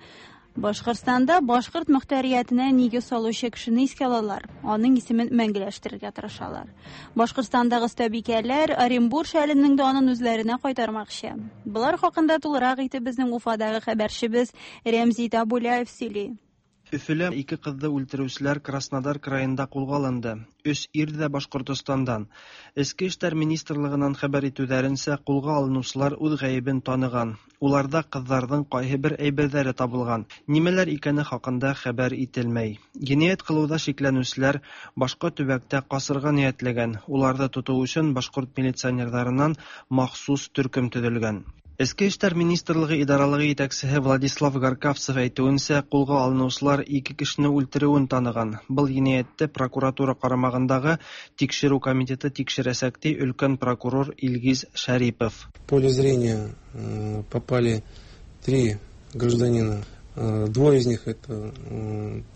Башкортстанда башкорт мөхтәриятенә нигез салучы кешене искә алалар. Аның исемен мәңгеләштерергә тырышалар. Башкортстандагы остабикәләр Оренбур шәленең данын үзләренә кайтармакчы. Болар хакында тулырак итеп безнең Уфадагы хәбәрчебез Рәмзи Табуляев сөйли. Өфөлә ике кызды үлтерүселәр Краснодар краенда кулга алынды. Өс ир дә Башкортостандан. Эчке эшләр министрлыгынан хәбәр итүләренсә, кулга алынучылар үз гаебен таныган. Уларда кызларның кайһы бер әйберләре табылган. Нимәләр икәне хакында хәбәр ителмәй. Җинаять кылуда шикләнүчеләр башка төбәктә касырга ниятләгән. Уларны тоту өчен башкорт милиционерларыннан махсус төркем төзелгән. Эчке эшләр министрлыгы идаралыгы җитәкчесе Владислав Гаркавцев әйтүенсә, кулга алынучылар ике кешене үлтерүен таныган. Был җинаятьте прокуратура карамагындагы тикшерү комитеты тикшерәсәк, ди өлкән прокурор Илгиз Шарипов. В поле зрения попали три гражданина. Двое из них это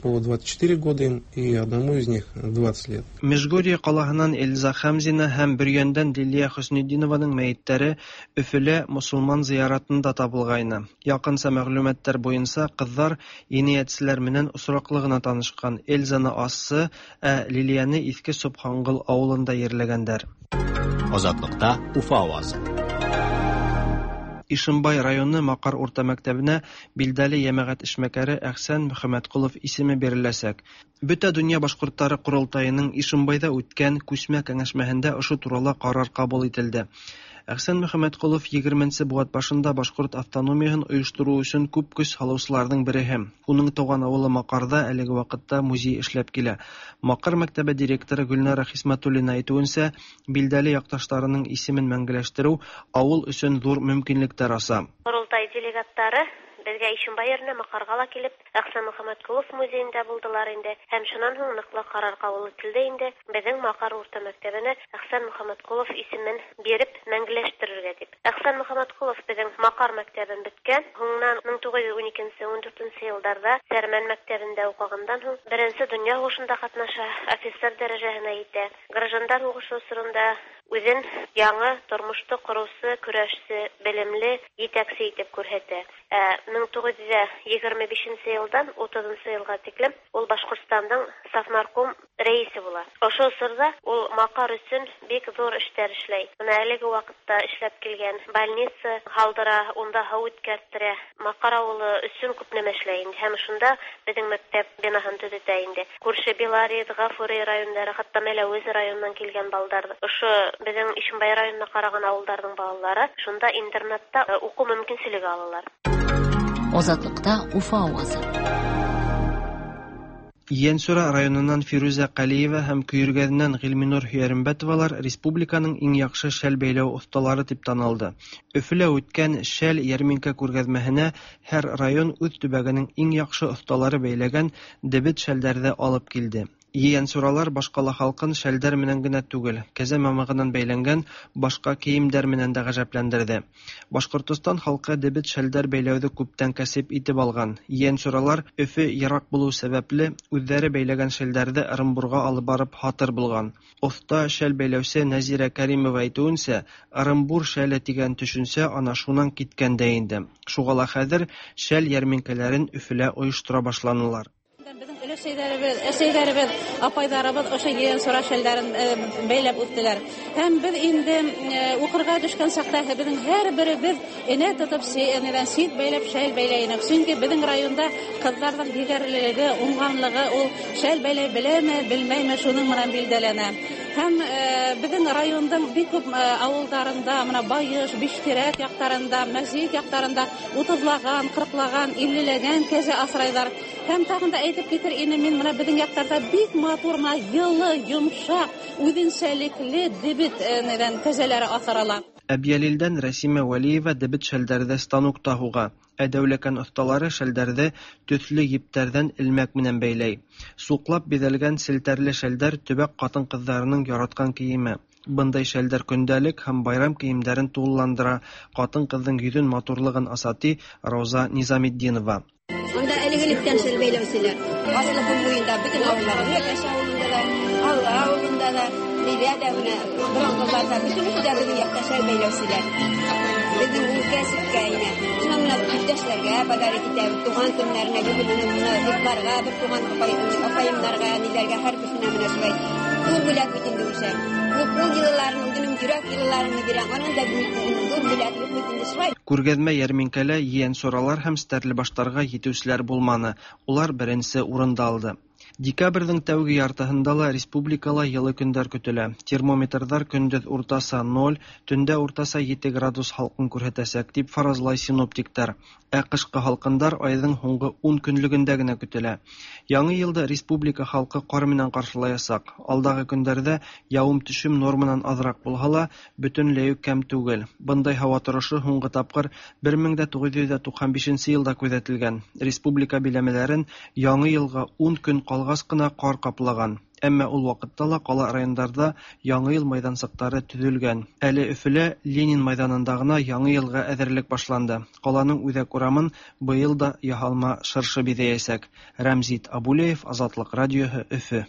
по двадцать четыре года им, и одному из них двадцать лет. Межгорье калаһынан Эльза Хамзина һәм Бөрйәндән Лилия Хөснетдинованың мәетләре Өфөлә мосылман зыяратында табылгайны. Якынча мәгълүматлар буенча кызлар җинаятьчеләр менән очраклы гына танышкан. Эльзаны Ассы, ә Лилияне Иске Собхангыл авылында җирләгәннәр. Азатлыкта Уфа авазы. Ишембай районы Макар урта мәктәбенә билдәле йәмәгать эшмәкәре Әхсән Мөхәммәтколов исеме биреләсәк. Бөтә дөнья башкортлары корылтаеның Ишембайда үткән күчмә кәңәшмәһендә ошо турала карар кабул ителде. Әхсән Мөхәммәтколов егерменсе быуат башында башкорт автономияһын оештыру өчен күп көч һалыусыларҙың береһе. Уның тыуған ауылы Макарҙа әлеге ваҡытта музей эшләп килә. Макар мәктәбе директоры Гөлнара Хисмәтуллина әйтеүенсә, билдәле яҡташтарының исемен мәңгеләштереү ауыл өсөн ҙур мөмкинлектәр аса. Ҡоролтай делегаттары беҙгә Ишембай еренә Маҡарға ла килеп, Әхсән Мөхәммәтколов музейында булдылар инде. Һәм шунан һуң ныҡлы ҡарар ҡабул ителде инде. Беҙҙең Маҡар урта мәктәбенә Әхсән Мөхәммәтколов исемен биреп мәңгеләштерергә тип. Әхсән Мөхәммәтколов беҙҙең Маҡар мәктәбен бөткән. Һуңынан мең туғыҙ йөҙ ун икенсе, ун дүртенсе йылдарҙа Сәрмән мәктәбендә уҡығандан һуң беренсе донъя һуғышында ҡатнаша, офицер дәрәжәһенә етә. Граждандар һуғышы осоронда үҙен яңы тормошто ҡороусы, көрәшсе, белемле етәксе итеп күрһәтә. мең туғыҙ йөҙ егерме бишенсе йылдан утыҙынсы йылға тиклем ул Башҡортостандың Совнарком рәисе була. Ошо осорҙа ул Маҡар өсөн бик ҙур эштәр эшләй. Бына әлеге ваҡытта эшләп килгән больница һалдыра, унда һыу үткәрттерә. Маҡар ауылы өсөн күп нәмә эшләй инде. Һәм шунда беҙҙең мәктәп бинаһын төҙөтә инде. Күрше Белорет, Ғафури райондары, хатта Мәләүез районынан килгән балдар, ошо беҙҙең Ишембай районына ҡараған ауылдарҙың балалары шунда интернатта уҡыу мөмкинселеге алалар. Азатлыкта Уфа авазы. Йәнсура районынан Фирүзә Ҡәлиева һәм Көйөргәҙенән Ғилминур Һөйәрмбәтовалар республиканың иң яҡшы шәл бәйләү оҫталары тип танылды. Өфөлә үткән шәл йәрминкә күргәҙмәһенә һәр район үҙ төбәгенең иң яҡшы оҫталары бәйләгән дебет шәлдәрҙе алып килде. Ейәнсуралар башкала халкын шәлдәр менән генә түгел, кәзә мамыгыннан бәйләнгән башка кейемдәр менән дә гаҗәпләндерде. Башкортостан халкы дебет шәлдәр бәйләүҙе күптән кәсеп итеп алған. Ейәнсуралар Өфө йыраҡ булыу сәбәпле үҙҙәре бәйләгән шәлдәрҙе Ырымбурға алып барып һатыр булған. Оҫта шәл бәйләүсе Нәзирә Кәримова әйтеүенсә, Ырымбур шәле тигән төшөнсә ана шунан киткән дә инде. Шуға ла хәҙер шәл йәрминкәләрен Өфөлә ойоштора башланылар. Беҙҙең өләсәйҙәребеҙ, әсәйҙәребеҙ, апайҙарыбыҙ ошо ейәнсура шәлдәрен бәйләп үттеләр. Һәм беҙ инде уҡырға төшкән саҡта беҙҙең һәр беребеҙ энә тотоп, энәҙән сит бәйләп шәл бәйләй инек. Сөнки беҙҙең районда ҡыҙҙарҙың егәрлелеге, уңғанлығы ул шәл бәйләй беләме, белмәйме, шуның менән билдәләнә. Һәм беҙҙең райондың бик күп ауылдарында, мына Байыш, Биштирәк яҡтарында, Мәсйет яҡтарында утыҙлаған, ҡырҡлаған, иллеләгән кәзә аҫрайҙар. Һәм тағын да әйтеп китер инем мин, мына беҙҙең яҡтарҙа бик матур, мына йылы, йомшаҡ, үҙенсәлекле дебет нәҙән кәзәләре аҫрала. Әбйәлилдән Рәсимә Вәлиева дебет шәлдәрҙе станокта һуға. Ә Дәүләкән оҫталары шәлдәрҙе төҫлө ептәрҙән элмәк менән бәйләй. Суҡлап биҙәлгән селтәрле шәлдәр төбәк ҡатын-ҡыҙҙарының яратҡан кейеме. Бындай шәлдәр көндәлек һәм байрам кейемдәрен тулыландыра, ҡатын-ҡыҙҙың йөҙөн матурлығын аса, ти Рауза Низаметдинова. Унда элек-электән шәл бәйләүселәр. Аслы буйында бөтөн ауылдар, Йәш ауылында ла, Алла ауылында ла, Нидә дә менә боронғоларҙа бөтөнөһө дә беҙҙең яҡта шәл бәйләүселәр. Беҙҙең ул кәсепкә инә. Шунан менә иптәшләргә подарок итәбеҙ, туған көннәренә, бөгөн менә дуҫларға, бер туған апайымдарға, ниләргә, һәр кешенә менә шулай ҙур бүләк бит инде ул шәл. Ул ҡул йылыларын, үҙенең йөрәк йылыларын бирә. Анан да ҙур бүләк юҡ бит инде шулай. Күргәҙмә йәрминкәлә ейәнсуралар һәм стәрлебаштарға етеүселәр булманы. Улар беренсе урынды алды. Декабрҙең тәүге яртыһында ла республикала йылы көндәр көтөлә. Термометрҙар көндөҙ уртаса ноль, төндә уртаса ете градус һалҡын күрһәтәсәк, тип фаразлай синоптиктар. Ә ҡышҡы һалҡындар айҙың һуңғы ун көнлөгөндә генә көтөлә. Яңы йылды республика халҡы ҡар менән ҡаршылаясаҡ. Алдағы көндәрҙә яуым-төшөм норманан аҙыраҡ булһа ла, бөтөнләй үк кәм түгел. Бындай һауа торошо һуңғы тапҡыр бер мең дә туғыҙ йөҙ туҡһан бишенсе йылда күҙәтелгән. Республика биләмәләрен яңы йылға ун көн ҡалғас ҡына ҡар ҡаплаған. Әммә ул ваҡытта ла ҡала райондарҙа яңы йыл майҙансыҡтары төҙөлгән. Әле Өфөлә Ленин майҙанында ғына яңы йылға әҙерлек башланды. Ҡаланың үҙәк урамын быйыл да яһалма шыршы биҙәйәсәк. Рәмзит Абулеев, Азатлыҡ радиоһы, Өфө.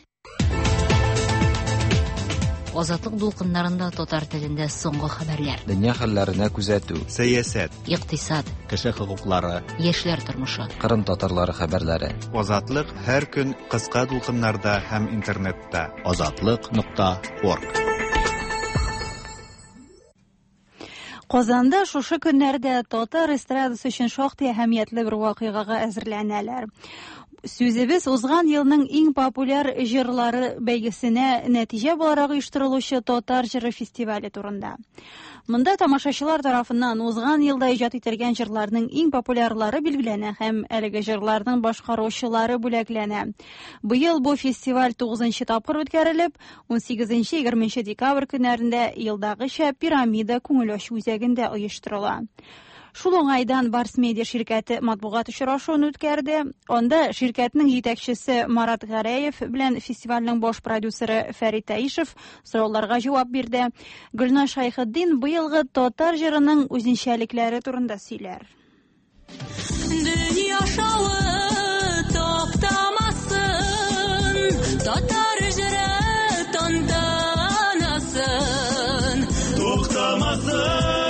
Азатлык дулкыннарында татар телендә соңгы хәбәрләр. Дөнья хәлләренә күзәтү, сәясәт, икътисад, кеше хокуклары, яшьләр тормышы, Кырым татарлары хәбәрләре. Азатлык һәр көн кыска дулкыннарда һәм интернетта. Азатлык нокта орг. Казанда шушы көннәрдә татар эстрадасы өчен шактый әһәмиятле бер вакыйгага әзерләнәләр. Сүзебез узган елның иң популяр җырлары бәйгесенә нәтиҗә буларак оештырылучы Татар җыры фестивале турында. Монда тамашачылар тарафыннан узган елда иҗат ителгән җырларның иң популярлары билгеләнә һәм әлеге җырларның башкаручылары бүләкләнә. Быел бу фестиваль тугызынчы тапкыр үткәрелеп, ун сигезенче егерменче декабрь көннәрендә елдагыча Пирамида күңел ачу үзәгендә оештырыла. Шул уңайдан Барс Медиа ширкәте матбугат очрашуын үткәрде. Анда ширкәтнең җитәкчесе Марат Гәрәев белән фестивальнең баш продюсеры Фәрит Таишев сорауларга җавап бирде. Гөлназ Шәйхетдин быелгы татар җырының үзенчәлекләре турында сөйләр. Дөнья шавы токтамасын, татар җыры тантанасын. Туктамасын.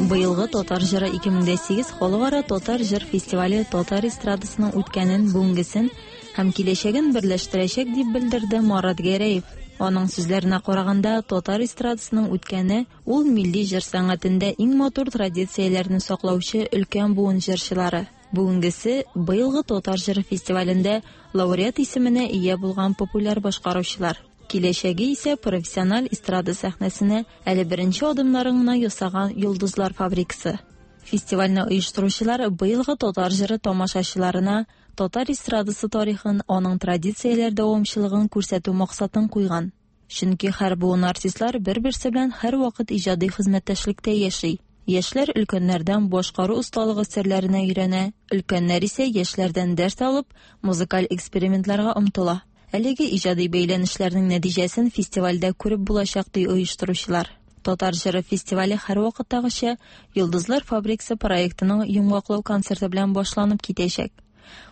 Быелгы Татар җыры ике мең дә сигез халыкара татар җыр фестивале татар эстрадасының үткәнен, бүгенгесен һәм киләчәген берләштерәчәк дип белдерде Марат Гәрәев. Аның сүзләренә караганда, татар эстрадасының үткәне ул милли җыр сәнгатендә иң матур традицияләрне саклаучы өлкән буын җырчылары. Бүгенгесе быелгы Татар җыры фестивалендә лауреат исеменә ия булган популяр башкаручылар. Киләчәге исә профессиональ эстрада сәхнәсенә әле беренче адымнарын гына ясаган йолдызлар фабрикасы. Фестивальне оештыручылар быелгы татар җыры тамашачыларына татар эстрадасы тарихын, аның традицияләр дәвамчылыгын күрсәтү максатын куйган. Чөнки һәр буын артистлар бер-берсе белән һәрвакыт иҗади хезмәттәшлектә яши. Яшьләр өлкәннәрдән башкару осталыгы серләренә өйрәнә, өлкәннәр исә яшьләрдән дәрес алып, музыкаль экспериментларга омтыла. Әлеге иҗади бәйләнешләрнең нәтиҗәсен фестивальдә күреп булачак, ди оештыручылар. Татар җыры фестивале һәрвакыттагыча Йолдызлар фабрикасы проектының йомгаклау концерты белән башланып китәчәк.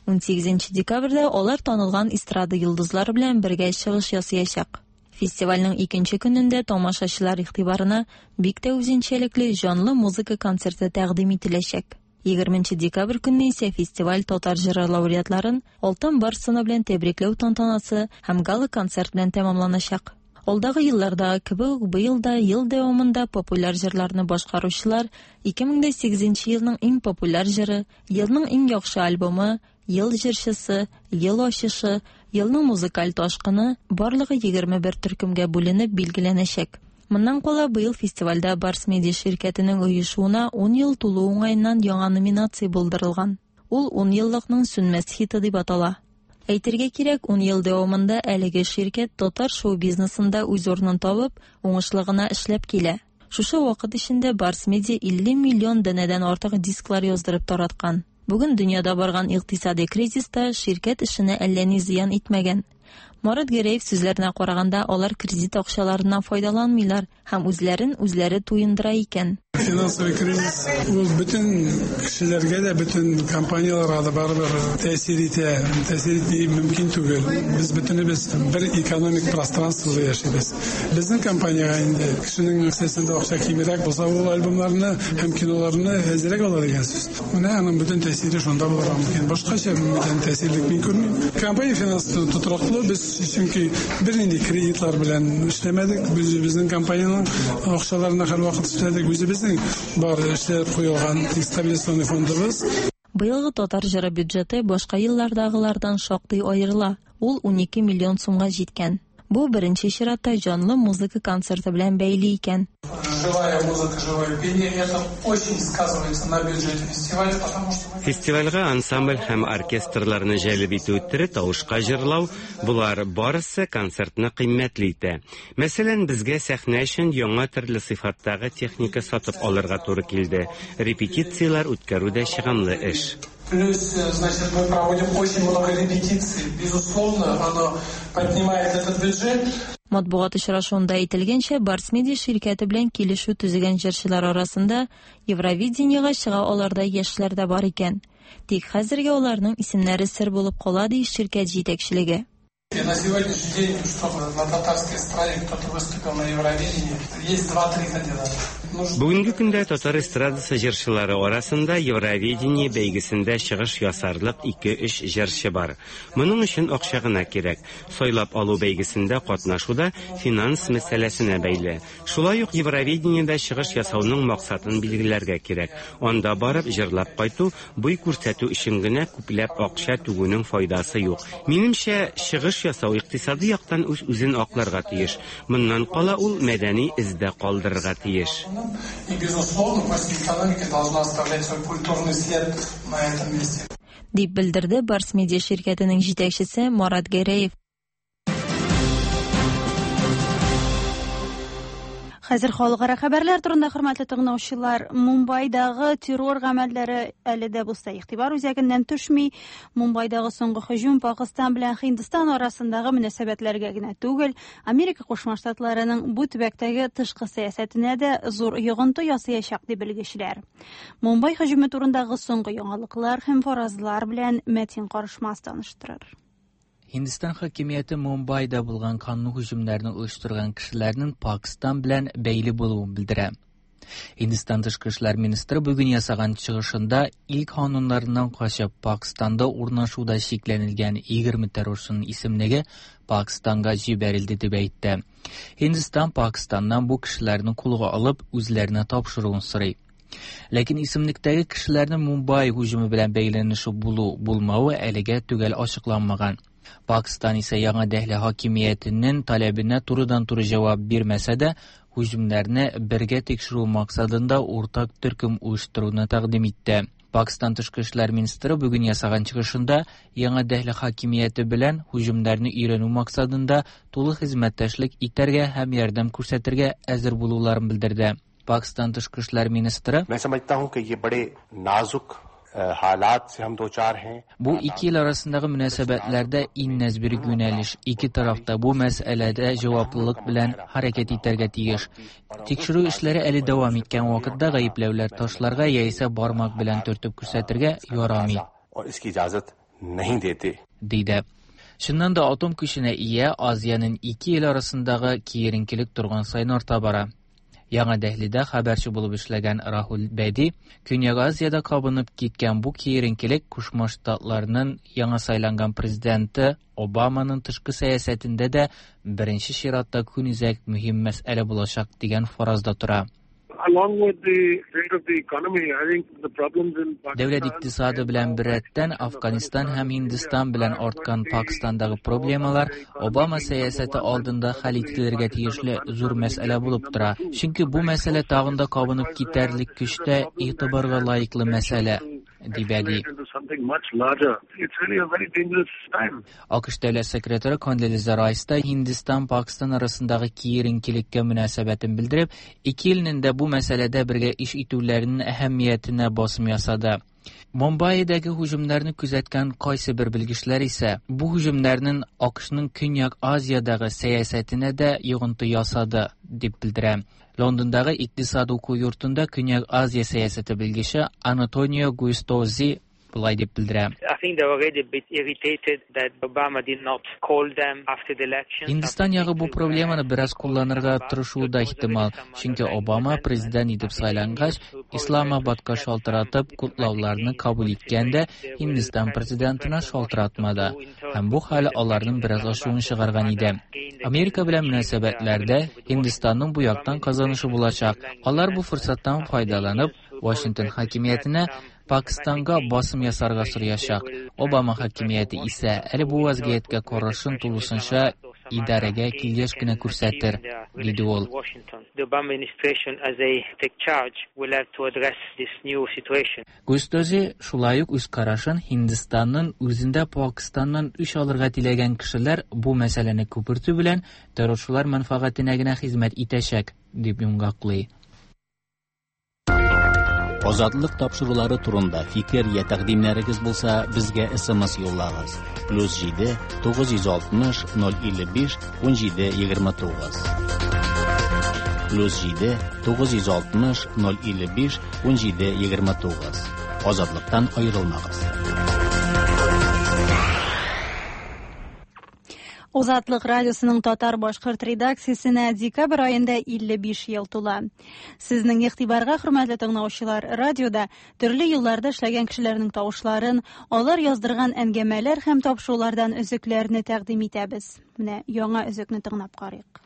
Унсигезенче декабрьдә алар танылган эстрада йолдызлары белән бергә чыгыш ясаячак. Фестивальнең икенче көнендә тамашачылар игътибарына бик тә үзенчәлекле җанлы музыка концерты тәкъдим ителәчәк. Егерменче декабрь көнне исә фестиваль татар җыры лауреатларын Алтын барс сыны белән тәбрикләү тантанасы һәм гала-концерт белән тәмамланачак. Алдагы еллардагы кебек үк быел да ел дәвамында популяр җырларны башкаручылар ике мең дә сигезенче елның иң популяр җыры, елның иң яхшы альбомы, ел җырчысы, ел ачышы, елның музыкаль ташкыны барлыгы егерме бер төркемгә бүленеп билгеләнәчәк. Моннан кала быел фестивальдә Барс Медиа ширкәтенең оешуына ун ел тулу уңаеннан яңа номинация булдырылган. Ул ун еллыкның сүнмәс хиты дип атала. Әйтергә кирәк, ун ел дәвамында әлеге ширкәт татар шоу-бизнесында үз урынын табып, уңышлы гына эшләп килә. Шушы вакыт эчендә Барс Медиа илле миллион данәдән артык дисклар яздырып тараткан. Бүген дөньяда барган икътисади кризиста ширкәт эшенә әллә ни зыян итмәгән. Марат Гәрәев сүзләренә караганда, алар кредит акчаларыннан файдаланмыйлар һәм үзләрен үзләре туендыра икән. Финансовый кризис ул бөтен кешеләргә дә, бөтен компанияләргә дә барыбер тәэсир итә. Тәэсир итми мөмкин түгел. Без бөтенебез бер экономик пространствода яшибез. Безнең компаниягә инде кешенең кесәсендә акча кимрәк булса, ул альбомнарны һәм киноларны әзрәк ала дигән сүз. Менә аның бөтен тәэсире шунда булырга мөмкин. Башкача бүтән тәэсирлек мин күрмим. Компания финанс тотрыклы, без чөнки бернинди кредитлар белән эшләмәдек. Без үзебезнең компаниянең акчаларына һәрвакыт эшләдек. Үзебезнең бар эшләп куелган стабилизационный фондыбыз. Быелгы татар җыры бюджеты башка еллардагылардан шактый аерыла. Ул унике миллион сумга җиткән. Бу беренче чиратта җанлы музыка концерты белән бәйле икән. Живая музыка, живое пение, это очень сказывается на бюджете фестиваля, потому что мы... Фестивальгә ансамбль һәм оркестрларны җәлеп итү, тере тавышка җырлау, булар барысы концертны кыйммәтле итә. Мәсәлән, безгә сәхнә өчен яңа төрле сыйфаттагы техника сатып алырга туры килде. Репетицияләр үткәрү дә чыгымлы эш. Плюс, значит, мы проводим очень много репетиций. Безусловно, оно поднимает этот бюджет. Матбугат очрашуында әйтелгәнчә, Барс Медиа ширкәте белән килешү төзегән җырчылар арасында Евровидениега чыга аларда яшьләр дә бар икән. Тик хәзергә аларның исемнәре сер булып кала, ди ширкәт җитәкчелеге. И на сегодняшний день, чтобы на татарской эстраде кто-то выступил на Евровидении, есть два-три кандидата. Бүгенге көндә татар эстрадасы җырчылары арасында Евровидение бәйгесендә чыгыш ясарлык ике-өч җырчы бар. Моның өчен акча гына кирәк. Сайлап алу бәйгесендә катнашу да финанс мәсьәләсенә бәйле. Шулай ук Евровидениедә чыгыш ясауның максатын билгеләргә кирәк. Анда барып җырлап кайту, буй күрсәтү өчен генә күпләп акча түгүнең файдасы юк. Минемчә, чыгыш ясау икътисади яктан үз-үзен акларга тиеш. Моннан кала ул мәдәни эздә калдырырга тиеш. И, безусловно, после экономики должна оставлять свой культурный след на этом месте. Дип белдерде Барс Медиа ширкәтенең җитәкчесе Марат Гәрәев. Хәзер халыкара хәбәрләр турында, хөрмәтле тыңлаучылар, Мумбайдагы террор гамәлләре әле дә булса игътибар үзәгеннән төшми. Мумбайдагы соңгы һөҗүм Пакистан белән Һиндстан арасындагы мөнәсәбәтләргә генә түгел, Америка Кушма Штатларының бу төбәктәге тышкы сәясәтенә дә зур йогынты ясаячак, ди белгечләр. Мумбай һөҗүме турындагы соңгы яңалыклар һәм фаразлар белән Мәтин Карышмас таныштырыр. Hindistan hakimiyeti Mumbayda bulgan kanlı hücumlarını uyuşturgan kişilerinin Pakistan bilen beyli buluğunu bildire. Hindistan Tışqı İşlər Ministri bugün yasagan çıkışında ilk kanunlarından kaçıp Pakistan'da urnaşuda şeklenilgen yigirmi terrorçunun isimligi Pakistan'a jiberildi deb aytdi. Hindistan Pakistandan bu kişilerini kuluğa alıp özlerine tapşırığını soray. Lekin isimliktagi kishilarning Mumbai hujumi bilan bog'lanishi bulu bo'lmavi aliga tugal ochiqlanmagan. Pakistan esa yangi Dehli hokimiyatining talabine to'g'ridan-to'g'ri javob bermasa-da, hujumlarni birga tekshiruv maqsadida o'rtaq turkum uyushtiruvni taqdim etdi. Pakistan Tashqi ishlar ministri bugun yasagan chiqishida yangi Dehli hokimiyati bilan hujumlarni o'rganuv maqsadida to'liq xizmatdoshlik etarga ham yordam ko'rsatirga hazir bo'luvlarini bildirdi. Пакистан тышкы эшләр министры मैं समझता हूं कि ये बड़े नाजुक हालात से हम दो चार हैं. Бу ике ил арасындагы мөнәсәбәтләрдә иң нәзберек юнәлеш. Ике тараф та бу мәсьәләдә җаваплылык белән хәрәкәт итәргә тиеш. Тикшерү эшләре әле дәвам иткән вакытта гаепләүләр ташларга яисә бармак белән төртеп күрсәтергә ярамый. और इसकी इजाजत नहीं देते. Диде. Чыннан да атом көченә ия Азиянең ике ил арасындагы киеренкелек торган саен арта бара. Яңа Дәһлидә хәбәрче булып эшләгән Рахул Бәди, Көньяк Азиядә кабынып киткән бу киеренкелек Кушма Штатларның яңа сайланган президенты Обаманың тышкы сәясәтендә дә беренче чиратта көнүзәк мөһим мәсьәлә булачак дигән фаразда тора. Along with the state of the economy, I think the problems in Pakistan Дәүләт икътисады белән беррәттән Афганистан һәм Һиндстан белән арткан Пакистандагы проблемалар Обама сәясәте алдында хәл ителергә тиешле зур мәсьәлә булып тора. Чөнки бу мәсьәлә тагын да кабынып китәрлек көчтә игътибарга лаеклы мәсьәлә, ди Бәди. into something much larger. It's really a very dangerous time. АКШ дәүләт секретаре Кондолиза Райс та Һиндстан Пакистан арасындагы киеренкелеккә мөнәсәбәтен белдереп, ике илнең дә бу мәсьәләдә бергә эш итүләренең әһәмиятенә басым ясады. Мумбаидагы һөҗүмнәрне күзәткән кайсы бер белгечләр исә бу һөҗүмнәрнең АКШның Көньяк Азиядагы сәясәтенә дә йогынты ясады дип белдерә. Лондондагы икътисад уку йортында Көньяк Азия сәясәте белгече Антонио Густози болай дип белдерә. I think they were already a bit irritated that Obama did not call them after the election. Һиндстан ягы бу проблеманы бераз кулланырга тырышуы да ихтимал, чөнки Обама президент итеп сайлангач, Исламабадка шалтыратып котлауларны кабул иткәндә Һиндстан президентына шалтыратмады. Һәм бу хәл аларның бераз ачуын чыгарган иде. Америка белән мөнәсәбәтләрдә Һиндстанның бу яктан казанышы булачак. Алар бу форсаттан файдаланып, Вашингтон хакимиятенә Пакистанга басым ясарга сораячак. Обама хакимияте исә әле бу вазгыятькә карашын тулысынча идарәгә килгәч кенә күрсәтер, диде ул. The Obama administration, as they take charge, will have to address this new situation. Густози шулай ук үз карашын Һиндстанның үзендә Пакистаннан үч алырга теләгән кешеләр бу мәсьәләне күпертү белән террорчылар мәнфәгатенә генә хезмәт итәчәк, дип йомгаклый. Азатлык тапшырулары турында фикер я тәкъдимнәрегез булса, безгә С М С юллагыз. Плюс җиде тугыз йөз алтмыш ноль илле биш ун җиде егерме тугыз. Плюс җиде тугыз йөз алтмыш ноль илле биш ун җиде егерме тугыз. Азатлыктан аерылмагыз. Азатлык радиосының татар-башкорт редакциясенә декабрь аенда илле биш ел тула. Сезнең игътибарга, хөрмәтле тыңлаучылар, радиода төрле елларда эшләгән кешеләрнең тавышларын, алар яздырган әңгәмәләр һәм тапшырулардан өзекләрне тәкъдим итәбез. Менә яңа өзекне тыңлап карыйк.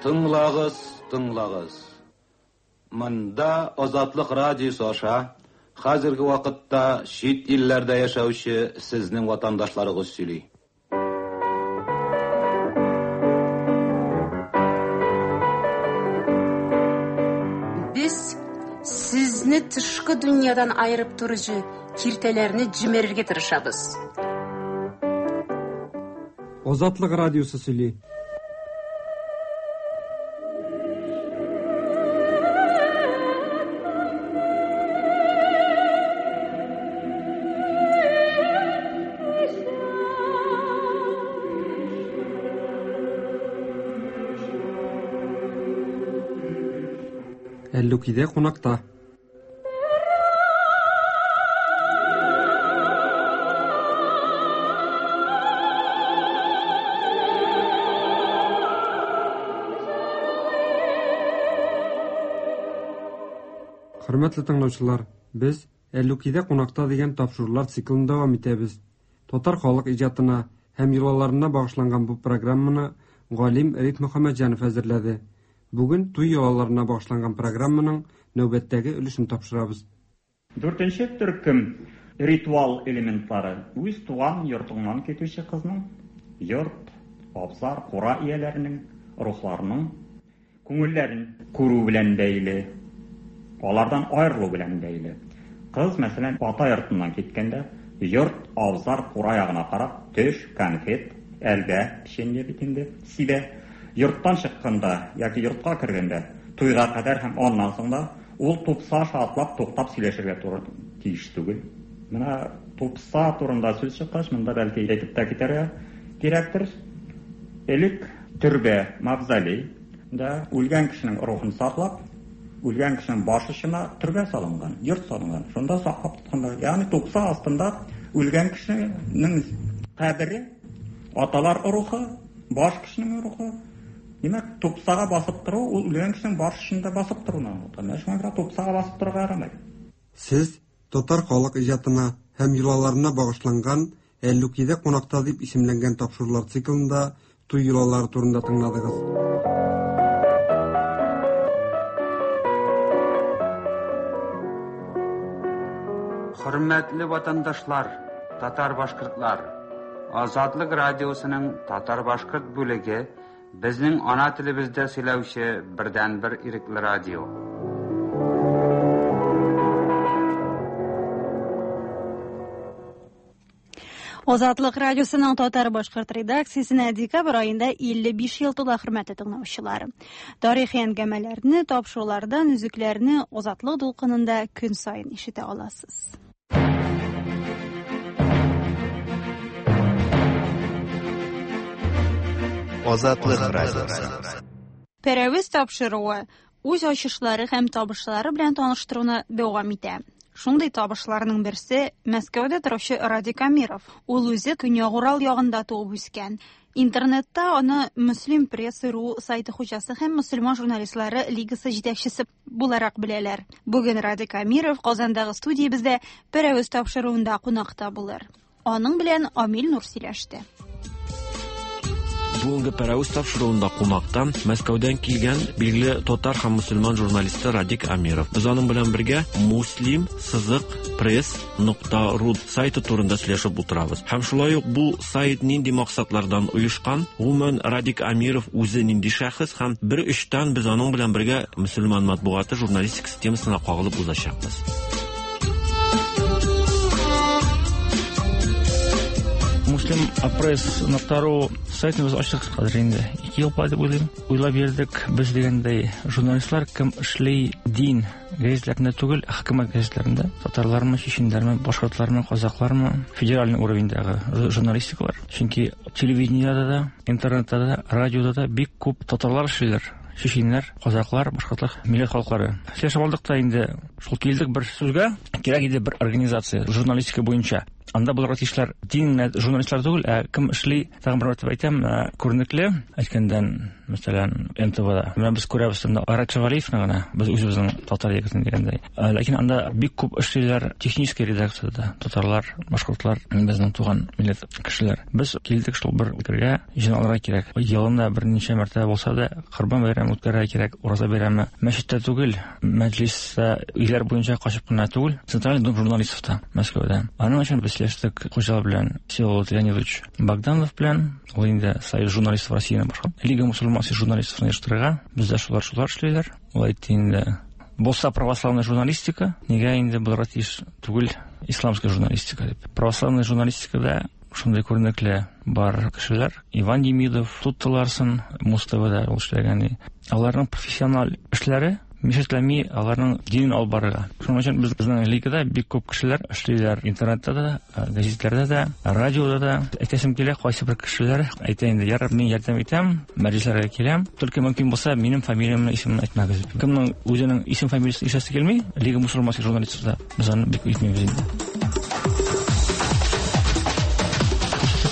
Тыңлагыз, тыңлагыз. Монда Азатлык радиосы аша хәзерге вакытта чит илләрдә яшәүче сезнең ватандашларыгыз сөйли. Без сезне тышкы дөньядан айырып торучы киртәләрне җимерергә тырышабыз. Азатлык радиосы сөйли. Әллүкидә кунакта. Хөрмәтле тыңлаучылар, без Әллүкидә кунакта дигән тапшырулар циклын дәвам итәбез. Татар халык иҗатына һәм йолаларына багышланган бу программаны галим Риф Мөхәммәтҗанов әзерләде. Бүген туй йолаларына багышланган программаның нәүбәттәге өлешен тапшырабыз. Дүртенче төркем ритуал элементлары. Үз туган йортыңнан китүче кызның, йорт, абзар, кура ияләренең, рухларының күңелләрен күрү белән бәйле, алардан аерылу белән бәйле. Кыз, мәсәлән, ата йортыннан киткәндә, йорт, абзар, кура ягына карап, төш, конфет, әлбә, печенье бит инде, сибә. Йорттан чыкканда яки йортка кергәндә, туйга кадәр һәм аннан соң да ул тупса аша атлап туктап сөйләшергә туры тиеш түгел. Менә тупса турында сүз чыккач, монда бәлки әйтеп тә китәргә кирәктер. Элек төрбә, мавзолей да үлгән кешенең рухын саклап, үлгән кешенең баш очына төрбә салынган, йорт салынган. Шунда саклап тотканнар. Ягъни тупса астында үлгән кешенең кабере, аталар рухы, баш кешенең рухы. Димәк, тупсага басып тору ул үлгән кешенең баш очында басып торуны аңлата. Менә шуңа күрә тупсага басып торырга ярамый. Сез татар халык иҗатына һәм йолаларына багышланган Әллүкидә кунакта дип исемләнгән тапшырулар циклында туй йолалары турында тыңладыгыз. Хөрмәтле ватандашлар, татар-башкортлар, Азатлык радиосының татар-башкорт бүлеге безнең ана телебездә сөйләүче бердәнбер ирекле радио. Азатлык радиосының татар-башкорт редакциясенә декабрь аенда илле биш ел тула, хөрмәтле тыңлаучылар. Тарихи әңгәмәләрне, тапшырулардан өзекләрне Азатлык дулкынында көн саен ишетә аласыз. Азатлык радиосы. Пәрәвез тапшыруы үз ачышлары һәм табышлары белән таныштыруны дәвам итә. Шундый табышларның берсе Мәскәүдә торучы Радик Амиров. Ул үзе Көньяк Урал ягында туып үскән. Интернетта аны Мөслим пресс ру сайты хуҗасы һәм мөселман журналистлары лигасы җитәкчесе буларак беләләр. Бүген Радик Амиров Казандагы студиябездә Пәрәвез тапшыруында кунакта булыр. Аның белән Амил Нур сөйләште. Бүгенге Пәрәвез тапшыруында кунакта Мәскәүдән килгән билгеле татар һәм мөселман журналисты Радик Амиров. Без аның белән бергә Муслим сызык пресс нокта ру сайты турында сөйләшеп утырабыз. Һәм шулай ук бу сайт нинди максатлардан оешкан, гомумән Радик Амиров үзе нинди шәхес һәм бер өчтән без аның белән бергә мөселман матбугаты журналистикасы темасына кагылып узачакбыз. Муслим пресс нокта ру сайтын без ачтык хәзер инде. Ике ел дип уйлыйм. Уйлап йөрдек, без дигәндәй журналистлар кем эшли дин гәзитләрендә түгел, хөкүмәт гәзитләрендә. Татарлармы, чеченнәрме, башкортлармы, казаклармы, федеральный уровеньдагы журналистикалар. Чөнки телевидениедә дә, интернетта да, радиода да бик күп татарлар эшлиләр. Чеченнәр, казаклар, башкортлар, милләт халыклары. Сөйләшеп алдык та инде шул килдек бер сүзгә, кирәк иде бер организация журналистика буенча. Анда булырга тиешләр дин журналистлар түгел, ә кем эшли, тагын бер мәртәбә әйтәм, күренекле, әйткәндән, мәсәлән, эн тэ вэ-да. Менә без күрәбез анда Айрат Шәвәлиевны гына, без үзебезнең татар егетен дигәндәй. Ләкин анда бик күп эшлиләр технический редакцияда, татарлар, башкортлар, безнең туган милләт кешеләр. Без килдек шул бер фикергә, җыйналырга кирәк. Елында берничә мәртәбә булса да Корбан бәйрәме үткәрергә кирәк, Ураза бәйрәме. Мәчеттә түгел, мәҗлистә, өйләр буенча качып кына түгел, Центральный дом журналистов Мәскәүдә. Аның өчен без сөйләштек хуҗалар белән, Всеволод Леонидович Богданов белән, ул инде Союз журналистов Россияне башкара. Лига мусульманских журналистов оештырырга. Бездә шулар шулар эшлиләр. Ул әйтте инде, булса православная журналистика, нигә инде булырга тиеш түгел исламская журналистика дип. Православная журналистикада шундый күренекле бар кешеләр. Иван Демидов, Туттыларсын, Муз-ТВда ул эшләгән. Аларның профессиональ эшләре мешетләми аларның динен алып барырга. Шуның өчен безнең лигада бик күп кешеләр эшлиләр. Интернетта да, гәзитләрдә дә, радиода да. Әйтәсем килә, кайсы бер кешеләр әйтә инде, ярар, мин ярдәм итәм, мәҗлесләргә киләм. Только мөмкин булса, минем фамилиямне, исемемне әйтмәгез. Кемнең үзенең исем фамилиясын ишетәсе килми, Лига мусульманских журналистов да, без аны бик итмибез инде.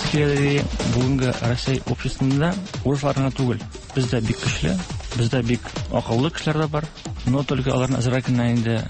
Киләләре бүгенге Россия обществосында урыслар гына түгел. Бездә бик көчле, бездә бик акыллы кешеләр дә бар, но только аларны әзрәк кенә инде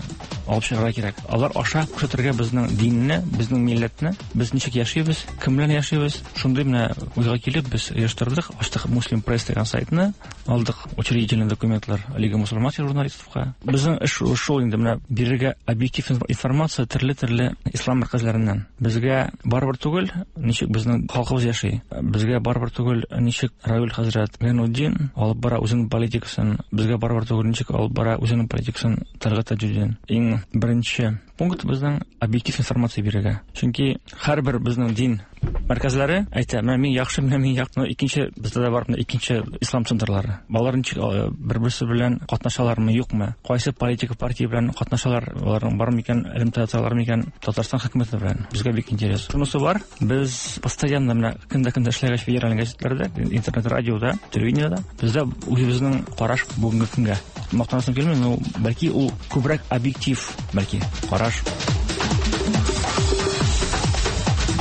алып чыгарга кирәк. Алар аша күрсәтергә безнең динне, безнең милләтне, без ничек яшибез, кем белән яшибез. Шундый менә уйга килеп без оештырдык, ачтык Муслим пресс дигән сайтны, алдык учредительный документлар Лига мусульманских журналистовка. Безнең эш шул инде менә бирергә объектив информация төрле-төрле ислам мәркәзләреннән. Безгә барыбер түгел, ничек безнең халкыбыз яши. Безгә барыбер түгел, ничек Равил хәзрәт Гайнутдин алып бара үзенең политикасын. Безгә барыбер түгел, ничек алып бара үзенең политикасын Тәлгать Таҗетдин. Иң Беренче пункт безнең объектив информация бирергә. Чөнки һәрбер безнең дин мәркәзләре әйтә, менә мин яхшы, менә мин яхшы. Икенче бездә дә бар икенче ислам центрлары. Алар ничек бер-берсе белән катнашалармы, юкмы? Кайсы политика партия белән катнашалар, аларның бар микән, элемтә тоталар микән Татарстан хөкүмәте белән? Безгә бик интерес. Шунысы бар, без постоянно менә көндә-көндә эшләгәч федераль газетларда, интернет радиода, телевидениедә бездә үзебезнең караш бүгенге көнгә. Мактанасым килми, но бәлки ул күбрәк объектив, бәлки караш.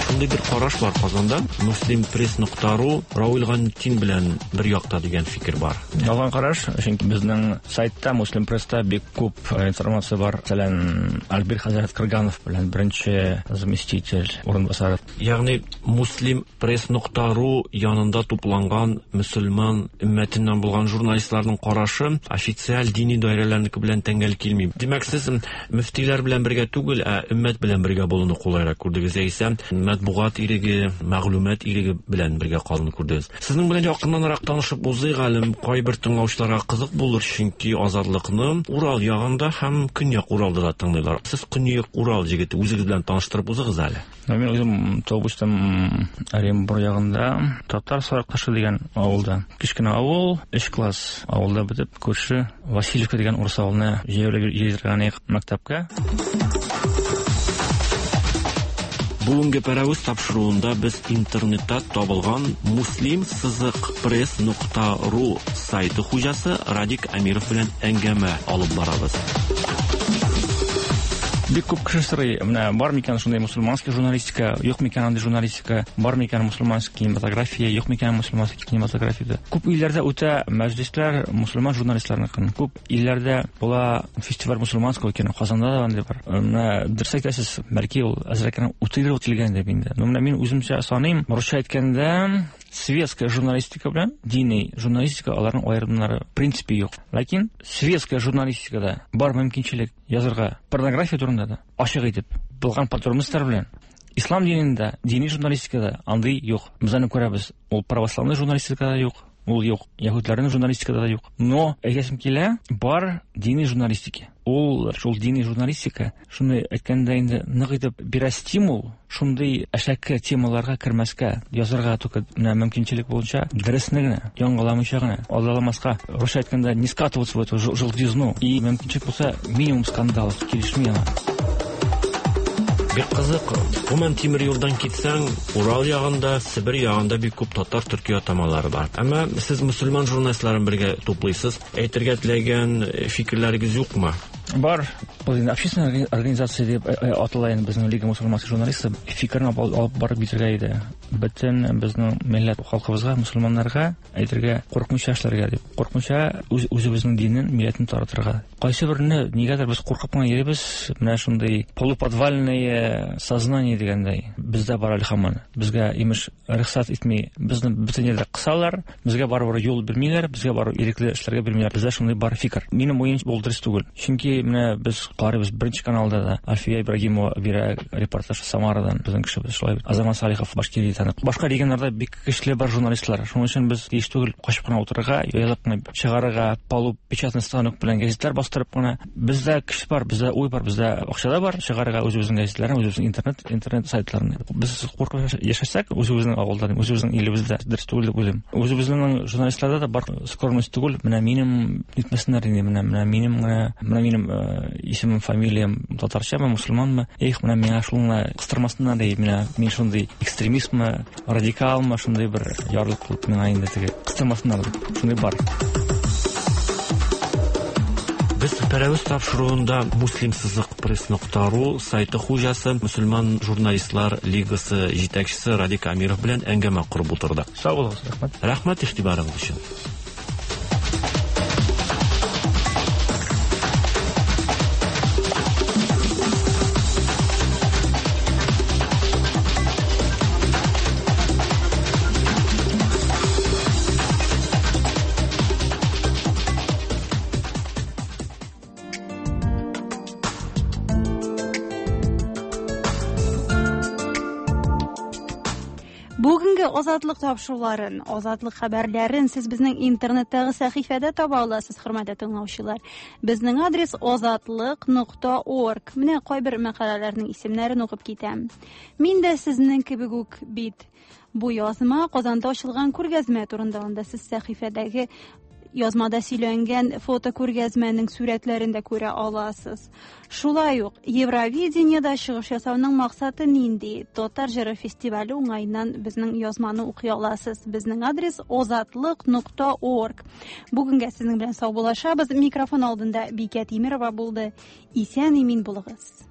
Шундый бер караш бар Казанда, Муслим пресс нокта ру Равил Гайнетдин белән бер якта дигән фикер бар. Ялган караш, чөнки безнең сайтта Муслим пресста бик күп информация бар. Мәсәлән, Альбир хәзрәт Кырганов белән беренче заместитель урынбасары. Ягъни Муслим пресс нокта ру янында тупланган мөселман өммәтеннән булган журналистларның карашы официаль дини даирәләрнеке белән тәңгәл килми. Димәк, сез мөфтиләр белән бергә түгел, ә өммәт белән бергә булуны кулайрак күрдегез, яисә матбугат иреге, мәгълүмат иреге белән бергә калуны күрдегез. Сезнең белән якыннанрак танышып узыйк әле, кайбер тыңлаучыларга кызык булыр, чөнки Азатлыкны Урал ягында һәм Көньяк Уралда да тыңлыйлар. Сез Көньяк Урал җегете, үзегез белән таныштырып узыгыз әле. Мин үзем туып үстем Оренбур ягында, Татар Сарыкташы дигән авылда. Кечкенә авыл, өч класс авылда бетеп, күрше Васильевка дигән урыс авылына җәяүле йөргән идек мәктәпкә. Бүгенге Пәрәвез тапшыруында без интернетта табылган Муслим сызык пресс нокта ру сайты хуҗасы Радик Әмиров белән әңгәмә алып барабыз. Бик күп кеше сорый, менә бар микән шундый мусульманский журналистика, юк микән андый журналистика, бар микән мусульманский кинематография, юк микән мусульманский кинематография. Күп илләрдә үтә мәҗлесләр мусульман журналистларыныкын. Күп илләрдә була фестиваль мусульманского кино, Казанда да андый бар. Менә дөрес әйтәсез, бәлки ул әзрәк кенә утрировать ителгән дип инде. Но менә мин үземчә саныйм, русча әйткәндә, светская журналистика белән дини журналистика аларның аерымнары в принципе юк. Ләкин светская журналистикада бар мөмкинчелек язырга порнография турында да ачык итеп булган подробностьлар белән. Ислам динендә, дини журналистикада андый юк. Без аны күрәбез. Ул православный журналистикада юк, ул юк. Яһүдләрнең журналистикада да юк. Но әйтәсем килә, бар дини журналистика. Ул шул дини журналистика, шуны әйткәндә инде нык итеп бирә стимул шундый әшәке темаларга кермәскә, язарга только менә мөмкинчелек булынча дөресне генә, яңгыламыйча гына, алдаламаска, русча әйткәндә, не скатываться в эту желтизну. И мөмкинчелек булса, минимум скандалов килешми аңа. Бик кызык. Гомумән тимер юлдан китсәң, Урал ягында, Себер ягында бик күп татар төрки атамалары бар. Әмма сез мөселман журналистларын бергә туплыйсыз. Әйтергә теләгән фикерләрегез юкмы? Бар. Был инде общественная организация дип атала инде безнең Лига мусульманских журналистов. Фикерне алып барып битергә иде. Бөтен безнең милләт халкыбызга, мусульманнарга әйтергә, куркмыйча эшләргә дип. Куркмыйча үз үзебезнең динен, милләтен таратырга. Кайсы берне нигәдер без куркып кына йөрибез, менә шундый полуподвальное сознание дигәндәй. Бездә бар әле һаман. Безгә имеш рөхсәт итми, безне бөтен җирдә кысалар, безгә барыбер юл бирмиләр, безгә барып ирекле эшләргә бирмиләр. Бездә шундый бар фикер. Минем уемча ул дөрес түгел. Чөнки менә без карыйбыз беренче каналда да Альфия Ибрагимова бирә репортаж Самарадан, безнең кешебез шулай бит. Азамат Салихов Башкириядән. Башка регионнарда бик көчле бар журналистлар. Шуның өчен без тиеш түгел качып кына утырырга, яйлап кына чыгарырга, полупечатный станок белән газетлар бастырып кына. Бездә кеше бар, бездә уй бар, бездә акча да бар, чыгарырга үзебезнең газетларны, үзебезнең интернет, интернет сайтларны. Без куркып яшәсәк, үзебезнең авылда, үзебезнең илебездә дөрес түгел дип уйлыйм. Үзебезнең журналистларда да бар скромность түгел. Менә минем нитмәсеннәр инде, менә менә минем менә минем исемем, фамилиям татарчамы, мусульманмы? Эх, менә миңа шуны кыстырмасыннар ди, менә мин шундый экстремистмы, радикалмы, шундый бер ярлык кылып миңа инде теге кыстырмасыннар дип. Шундый бар. Без Пәрәвез тапшыруында Муслим сызык пресс нокта ру сайты хуҗасы, мөселман журналистлар лигасы җитәкчесе Радик Әмиров белән әңгәмә корып утырдык. Сау булыгыз, рәхмәт. Рәхмәт игътибарыгыз өчен. Бүгенге Бүгенге Азатлык тапшыруларын, Азатлык хәбәрләрен сез безнең интернеттагы сәхифәдә таба аласыз, хөрмәтле тыңлаучылар. Безнең адрес азатлык нокта орг. Менә кайбер мәкаләләрнең исемнәрен укып китәм. Мин дә сезнең кебек үк бит. Бу язма Казанда ачылган күргәзмә турында. Анда сез сәхифәдәге язмада сөйләнгән фото күргәзмәнең сурәтләрен дә күрә аласыз. Шулай ук Евровидениедә чыгыш ясауның максаты нинди? Татар җыры фестивале уңаеннан безнең язманы укый аласыз. Безнең адрес азатлык нокта орг. Бүгенгә сезнең белән саубуллашабыз. Микрофон алдында Бикә Тимирова булды. Исән имин булыгыз.